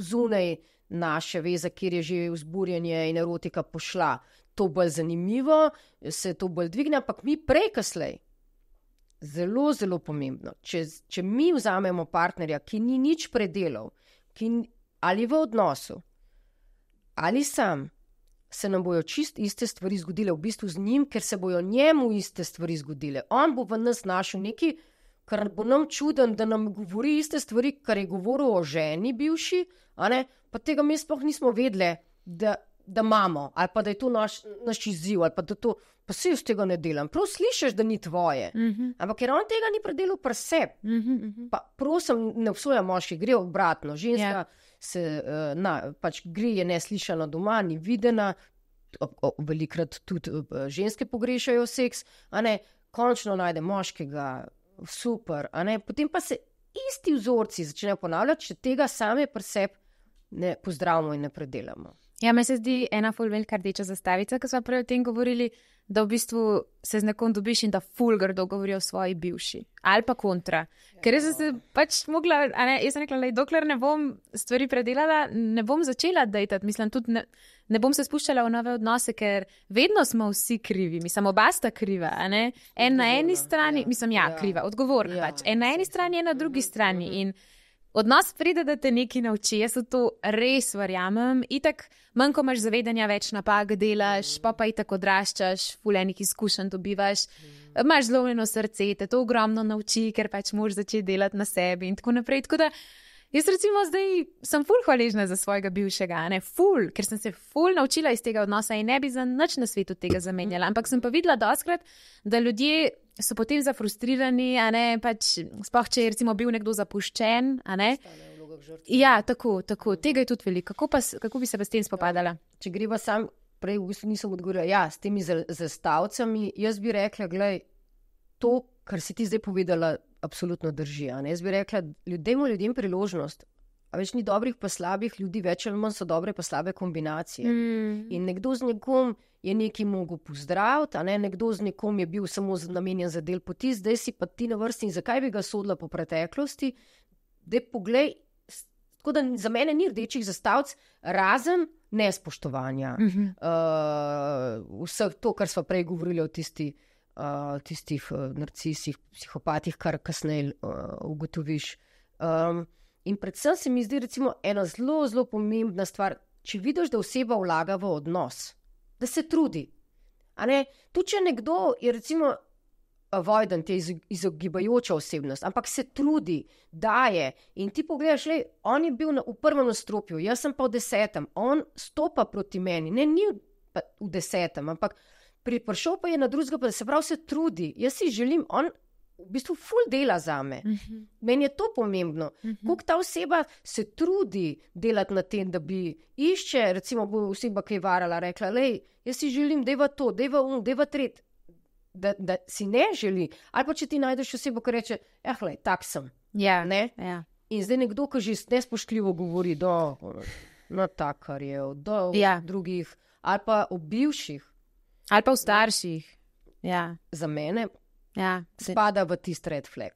zunaj naše veze, kjer je že vzburjenje in erotika pošla. To bolj zanimivo, se to bolj dvigne, ampak mi prej kaslej. Zelo, zelo pomembno. Če mi vzamemo partnerja, ki ni nič predelal, ali v odnosu, ali sam, se nam bojo čist iste stvari zgodile, v bistvu z njim, ker se bojo njemu iste stvari zgodile. On bo v nas našel nekaj, kar bo nam čuden, da nam govori iste stvari, kar je govoril o ženi bivši, pa tega mi sploh nismo vedeli, da imamo, ali pa da je to naš izziv, ali pa da to, pa se jaz tega ne delam. Prav slišiš, da ni tvoje, ampak ker on tega ni predelal pri sebi. Pa prosim, ne obsojam moški, gre obratno. Ženska se, pač gre je neslišana doma, ni videna, velikrat tudi ženske pogrešajo seks, končno najde moškega, super, potem pa se isti vzorci začnejo ponavljati, če tega same pri sebi ne pozdravimo in ne predelamo. Ja, meni se zdi ena ful velika rdeča zastavica, ko smo prej o tem govorili, da v bistvu se z nekom dobiš in da ful grdo govori o svoji bivši. Ali pa kontra. Ker jaz sem se pač mogla, jaz sem rekla, dokler ne bom stvari predelala, ne bom začela dejtati. Mislim, tudi ne bom se spuščala v nove odnose, ker vedno smo vsi krivi. Mislim, oba sta kriva, En na eni strani, kriva, odgovorna pač. En na eni strani, en na drugi strani. In odnos pride, da te nekaj nauči. Jaz v to res verjamem. Itak, manj ko imaš zavedanja, več napak delaš, pa itak odraščaš, ful enih izkušenj dobivaš, imaš zlomljeno srce, te to ogromno nauči, ker pač moraš začeti delati na sebi in tako naprej. Tako da jaz recimo zdaj sem ful hvaležna za svojega bivšega, ful, ker sem se ful naučila iz tega odnosa in ne bi za nič na svetu tega zamenjala. Ampak sem pa videla dostkrat, da ljudje so potem zafrustrirani, pač sploh, če je recimo bil nekdo zapuščen, Ja, tako, tega je tudi veliko. Kako bi se pa s tem spopadala? Če greva sam, prej v bistvu nisem odgovorila, s temi zastavcami, jaz bi rekla, glej, to, kar si ti zdaj povedala, absolutno drži, Jaz bi rekla, ljudem priložnost, a več ni dobrih pa slabih ljudi, več ali manj so dobre pa slabe kombinacije. In nekdo z nekom je nekaj mogel pozdraviti, nekdo z nekom je bil samo namenjen za del poti, zdaj si pa ti na vrsti in zakaj bi ga sodila po preteklosti, daj poglej, tako da za mene ni rdečih zastavic, razen nespoštovanja. Vseh to, kar smo prej govorili o tistih narcisih, psihopatih, kar kasneje ugotoviš. In predvsem se mi zdi recimo ena zelo, zelo pomembna stvar, če vidiš, da oseba vlaga v odnos, da se trudi. Tudi če nekdo je recimo avoidant, je izogibajoča osebnost, ampak se trudi, daje in ti pogledaš, on je bil v prvem nastropju, jaz sem pa v 10, on stopa proti meni, ni pa v 10, ampak prišel pa je na drugega, pa se pravi se trudi, jaz si želim, on v bistvu ful dela zame. Meni je to pomembno. Koliko ta oseba se trudi delati na tem, da bi išče, recimo bo oseba, ki je varala, rekla, jaz si želim, deva to, deva tret, da si ne želi. Ali pa če ti najdeš osebo, ki reče, tak sem. Ja. In zdaj nekdo, ki že nespoštljivo govori do takarjev, do drugih, ali pa o bivših. Ali pa v starših. Ja. Za mene spada v tist red flag.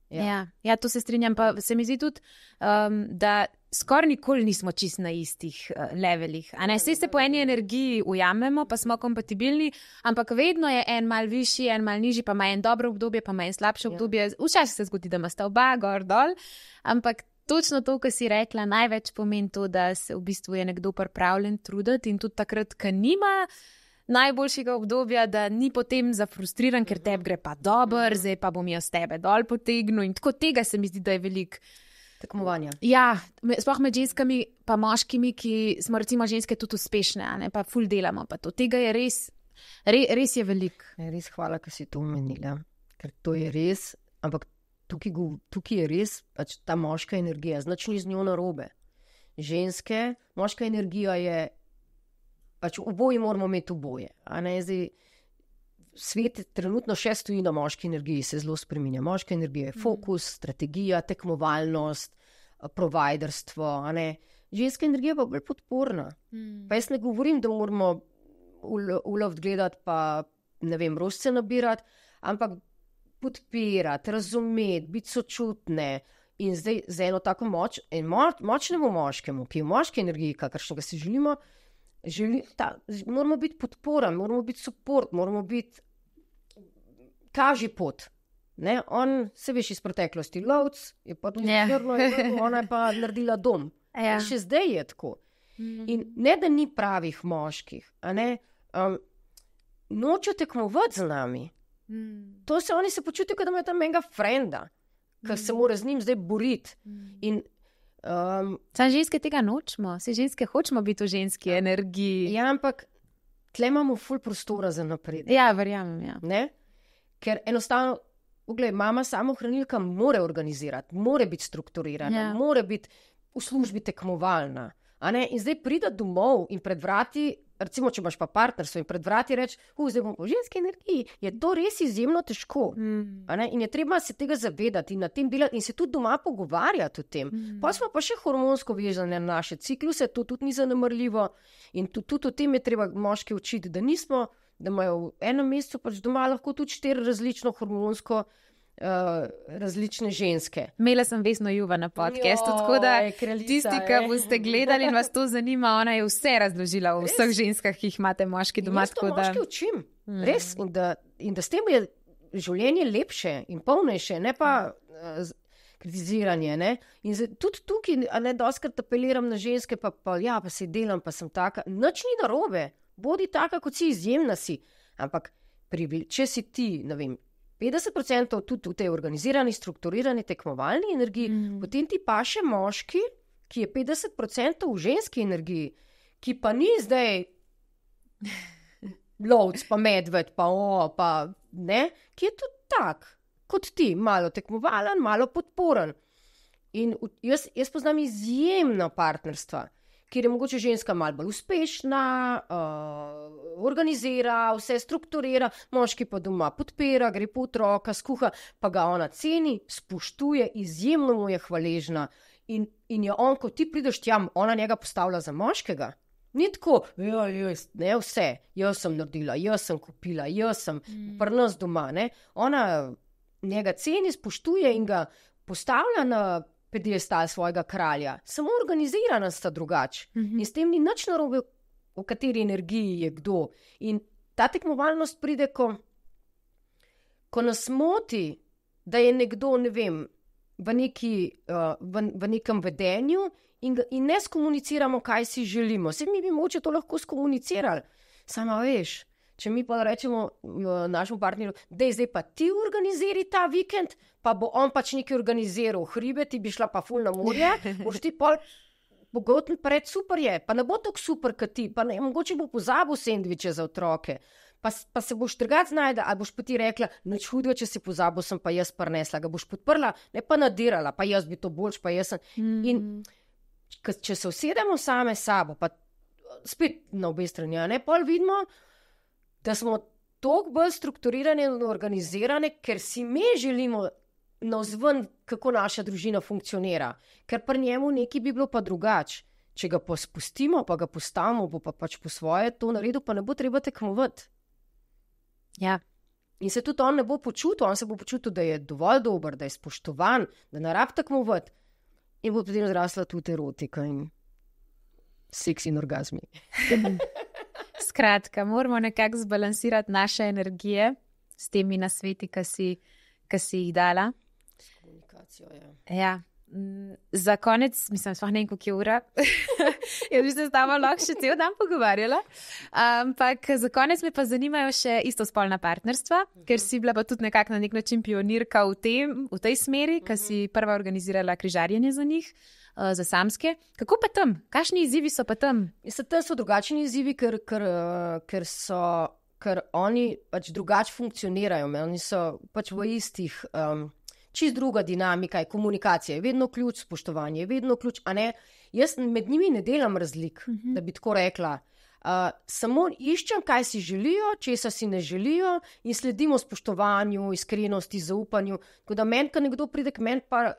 Ja, to se strinjam, pa se mi zdi tudi, da skoraj nikoli nismo čist na istih levelih. Saj se po eni energiji ujamemo, pa smo kompatibilni, ampak vedno je en mal višji, en mal nižji, pa ima en dobro obdobje, pa ima en slabše obdobje. Včasih se zgodi, da ima sta oba gor dol, ampak točno to, kar si rekla, največ pomeni to, da se v bistvu je nekdo pripravljen truditi in tudi takrat, ko nima najboljšega obdobja, da ni potem zafrustriran, ker tebi gre pa dobro, zdaj pa bom jaz tebe dol potegnil in tako tega se mi zdi, da je veliko tekmovanja. Ja, sploh med ženskami pa moškimi, ki smo recimo ženske tudi uspešne, pa ful delamo, pa to. Tega je res je veliko. Res hvala, ker si to omenila, ker to je res, ampak tukaj je res pač ta moška energija, značno z njo narobe. Ženske, moška energija je pač oboji moramo imeti oboje. Zdaj, svet trenutno še stoji na moški energiji, se zelo spreminja. Moška energija je fokus, strategija, tekmovalnost, providerstvo. Ženska energija pa bolj podporna. Pa jaz ne govorim, da moramo uloviti gledati pa, ne vem, rožce nabirati, ampak podpirati, razumeti, biti sočutne. In zdaj za eno tako močnemu moškemu, ki je v moški energiji, kakršnega si želimo, moramo biti podpora, moramo biti support, moramo biti kaži pot. On se veš iz preteklosti lovc, je pa tudi ona je pa naredila dom. Še zdaj je tako. In ne, da ni pravih moških, a ne, nočejo tekmovati z nami. Oni se počutijo, kot da imajo tam enega frenda, ki se mora z njim zdaj boriti. Sam ženske tega nočemo, vse ženske hočemo biti v ženski energiji. Ja, ampak tle imamo ful prostora za napredek. Ja, verjamem, ja. Ne? Ker enostavno, poglej, mama samohranilka more organizirati, more biti strukturirana, more biti v službi tekmovalna. A ne? In zdaj pride domov in pred vrati, recimo, če imaš pa partnerstvo in pred vrati reči, zdaj bom po ženski energiji, je to res izjemno težko. A ne? In je treba se tega zavedati in na tem delati in se tudi doma pogovarjati o tem. Pa smo pa še hormonsko vezane na naše cikluse, to tudi ni zanemrljivo in tudi o tem je treba moški učiti, da nismo, da imajo v enem mesecu pač doma lahko tudi 4 različno hormonsko različne ženske. Imela sem Vesno Juva na podcastu, tako da tisti, ki boste gledali in vas to zanima, ona je vse razložila o vseh ženskah, ki jih imate moški doma. Jaz to moški učim, res. In da s tem je življenje lepše in polnejše, ne pa kritiziranje. Ne? In tudi tukaj, a ne doskrat apeliram na ženske, pa se delam, pa sem taka. Nič ni narobe, bodi taka, kot si, izjemna si. Ampak če si ti, ne vem, 50% tudi v tej organizirani, strukturirani, tekmovalni energiji, potem ti pa še moški, ki je 50% v ženski energiji, ki pa ni zdaj lovc, pa medved, pa ne, ki je tudi tak, kot ti, malo tekmovalen, malo podporen. In jaz poznam izjemno partnerstva, kjer je mogoče ženska malo bolj uspešna, organizira, vse strukturira, moški pa doma podpira, gre po otroka, skuha, pa ga ona ceni, spoštuje, izjemno mu je hvaležna. In je on, ko ti prideš tja, ona njega postavlja za moškega. Ni tako, ne vse, jaz sem naredila, jaz sem kupila, jaz sem pri nas doma. Ne? Ona njega ceni, spoštuje in ga postavlja na pedestal svojega kralja. Samo organizirana sta drugače. In s tem ni nič narobe, v kateri energiji je kdo. In ta tekmovalnost pride, ko nas moti, da je nekdo, ne vem, v nekem vedenju in ne skomuniciramo, kaj si želimo. Saj mi bi moče to lahko skomunicirali. Sama veš, če mi pa rečemo našemu partnerju, zdaj pa ti organiziri ta vikend, pa bo on pač nekaj organiziral hribe, ti bi šla pa ful na morje, boš ti pol pogotni pred, super je, pa ne bo tako super, kot ti, pa ne, mogoče bo pozabil sendviče za otroke, pa se boš drugače znajda, ali boš pa ti rekla, nič hudega, če si pozabil, sem pa jaz prinesla, ga boš podprla, ne pa nadirala, pa jaz bi to boljš, pa jaz sem. In če se usedemo same sabo, pa spet na obe strani, ne, pol vidimo, da smo toliko bolj strukturirane in organizirane, ker si mi želimo navzven, kako naša družina funkcionira. Ker pri njemu nekaj bi bilo pa drugače. Če ga pa spustimo, pa ga postavimo, bo pa pač po svoje to naredil, pa ne bo treba tekmovati. Ja. In se tudi on ne bo počutil, on se bo počutil, da je dovolj dober, da je spoštovan, da ne rab tekmovati. In bo potem zrasla tudi erotika in seks in orgazmi. Skratka, moramo nekako zbalansirati naše energije s temi nasveti, ki si jih dala. S komunikacijo, ja. Za konec, mislim, sploh ne vem, koliko je ura. Jaz bi se s tabo lahko še cel dan pogovarjala. Ampak za konec me pa zanimajo še istospolna partnerstva, ker si bila pa tudi nekako na nek način pionirka v tej smeri, ker si prva organizirala križarjenje za njih, za samske. Kako pa tam? Kakšni izzivi so pa tam? Tam so drugačni izzivi, ker oni pač drugače funkcionirajo. Oni so pač v istih... Čist druga dinamika je komunikacija, je vedno ključ, spoštovanje je vedno ključ, a ne, jaz med njimi ne delam razlik, da bi tako rekla. Samo iščem, kaj si želijo, česa si ne želijo in sledimo spoštovanju, iskrenosti, zaupanju. Tako da meni, ko nekdo pride k meni, pa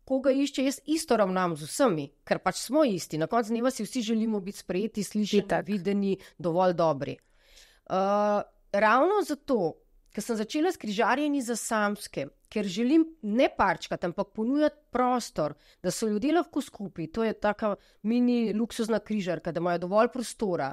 koga išče, jaz isto ravnam z vsemi, ker pač smo isti. Na koncu dneva si vsi želimo biti sprejeti, slišani, videni, dovolj dobri. Ravno zato, ker sem začela s križarjenji za samske, ker želim ne parčkati, ampak ponujati prostor, da so ljudje lahko skupaj. To je taka mini luksuzna križarka, da imajo dovolj prostora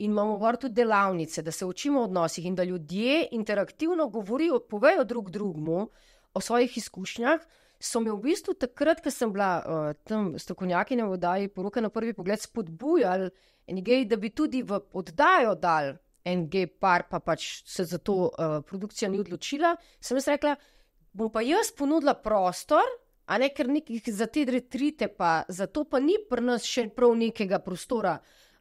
in imamo tudi delavnice, da se učimo o odnosih in da ljudje interaktivno govorijo, povejo drug drugmu o svojih izkušnjah, so me v bistvu takrat, ko sem bila tam strokovnjakinja v oddaji Poroka na prvi pogled, spodbujali en gej, da bi tudi v oddajo dal en gej par, pa pač se za to produkcija ni odločila. Sem jaz rekla, bom pa jaz ponudila prostor, a ne, ker nekih za te retrite, pa zato pa ni pri nas še prav nekega prostora,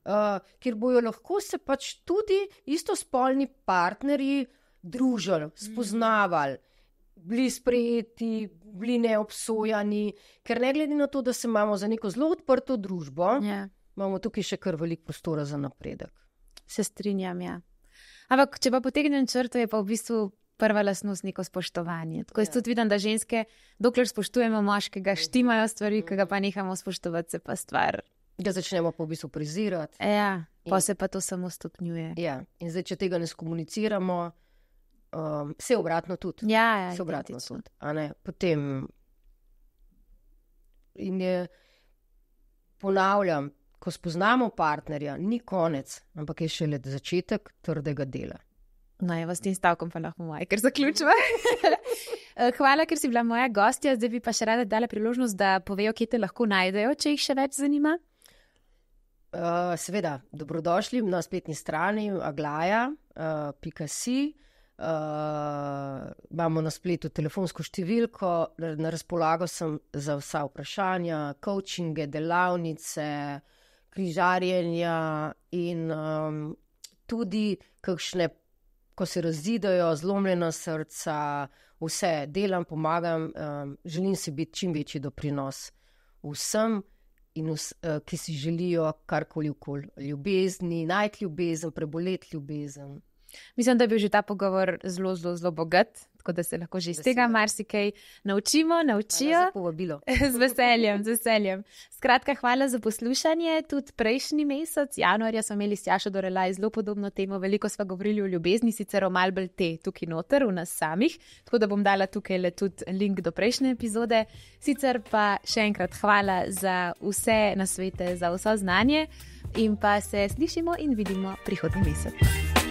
kjer bojo lahko se pač tudi istospolni partnerji družili, spoznavali, bili sprejeti, bili neobsojani, ker ne glede na to, da se imamo za neko zelo odprto družbo, imamo tukaj še kar veliko prostora za napredek. Se strinjam, ja. Ampak, če pa potegnem črto, je pa v bistvu prva lastnost neko spoštovanje. Tako jaz tudi vidim, da ženske, dokler spoštujemo moškega, štimajo stvari, ki ga pa nehamo spoštovati, se pa stvar. Ga začnemo pa v bistvu prezirati. Ja, pa se pa to samo stopnjuje. Ja, in zdaj, če tega ne skomuniciramo, vse obratno tudi. Ja, vse obratno tudi. A ne, potem in je, ponavljam, ko spoznamo partnerja, ni konec, ampak je šele začetek trdega dela. No, evo, s tem stavkom pa lahko moja, ker zaključujem. Hvala, ker si bila moja gostja. Zdaj bi pa še rada dala priložnost, da povejo, kje te lahko najdejo, če jih še več zanima. Seveda, dobrodošli na spletni strani aglaja.si. Imamo na spletu telefonsko številko, na razpolago sem za vsa vprašanja, coachinge, delavnice, križarjenja in tudi kakšne, ko se razidejo, zlomljena srca, vse delam, pomagam, želim si biti čim večji doprinos vsem, in ki si želijo karkoli okoli ljubezni, najti ljubezen, preboleti ljubezen. Mislim, da je bil že ta pogovor zelo, zelo, zelo bogat, tako da se lahko že iz tega marsikaj naučijo. Hvala za povabilo. Z veseljem, z veseljem. Skratka, hvala za poslušanje. Tudi prejšnji mesec, januarja, smo imeli s Tjašo Dorelaj zelo podobno temo. Veliko sva govorili o ljubezni, sicer o malo bolj te tukaj noter, v nas samih. Tako da bom dala tukaj le tudi link do prejšnje epizode. Sicer pa še enkrat hvala za vse nasvete, za vso znanje in pa se slišimo in vidimo prihodnji mesec.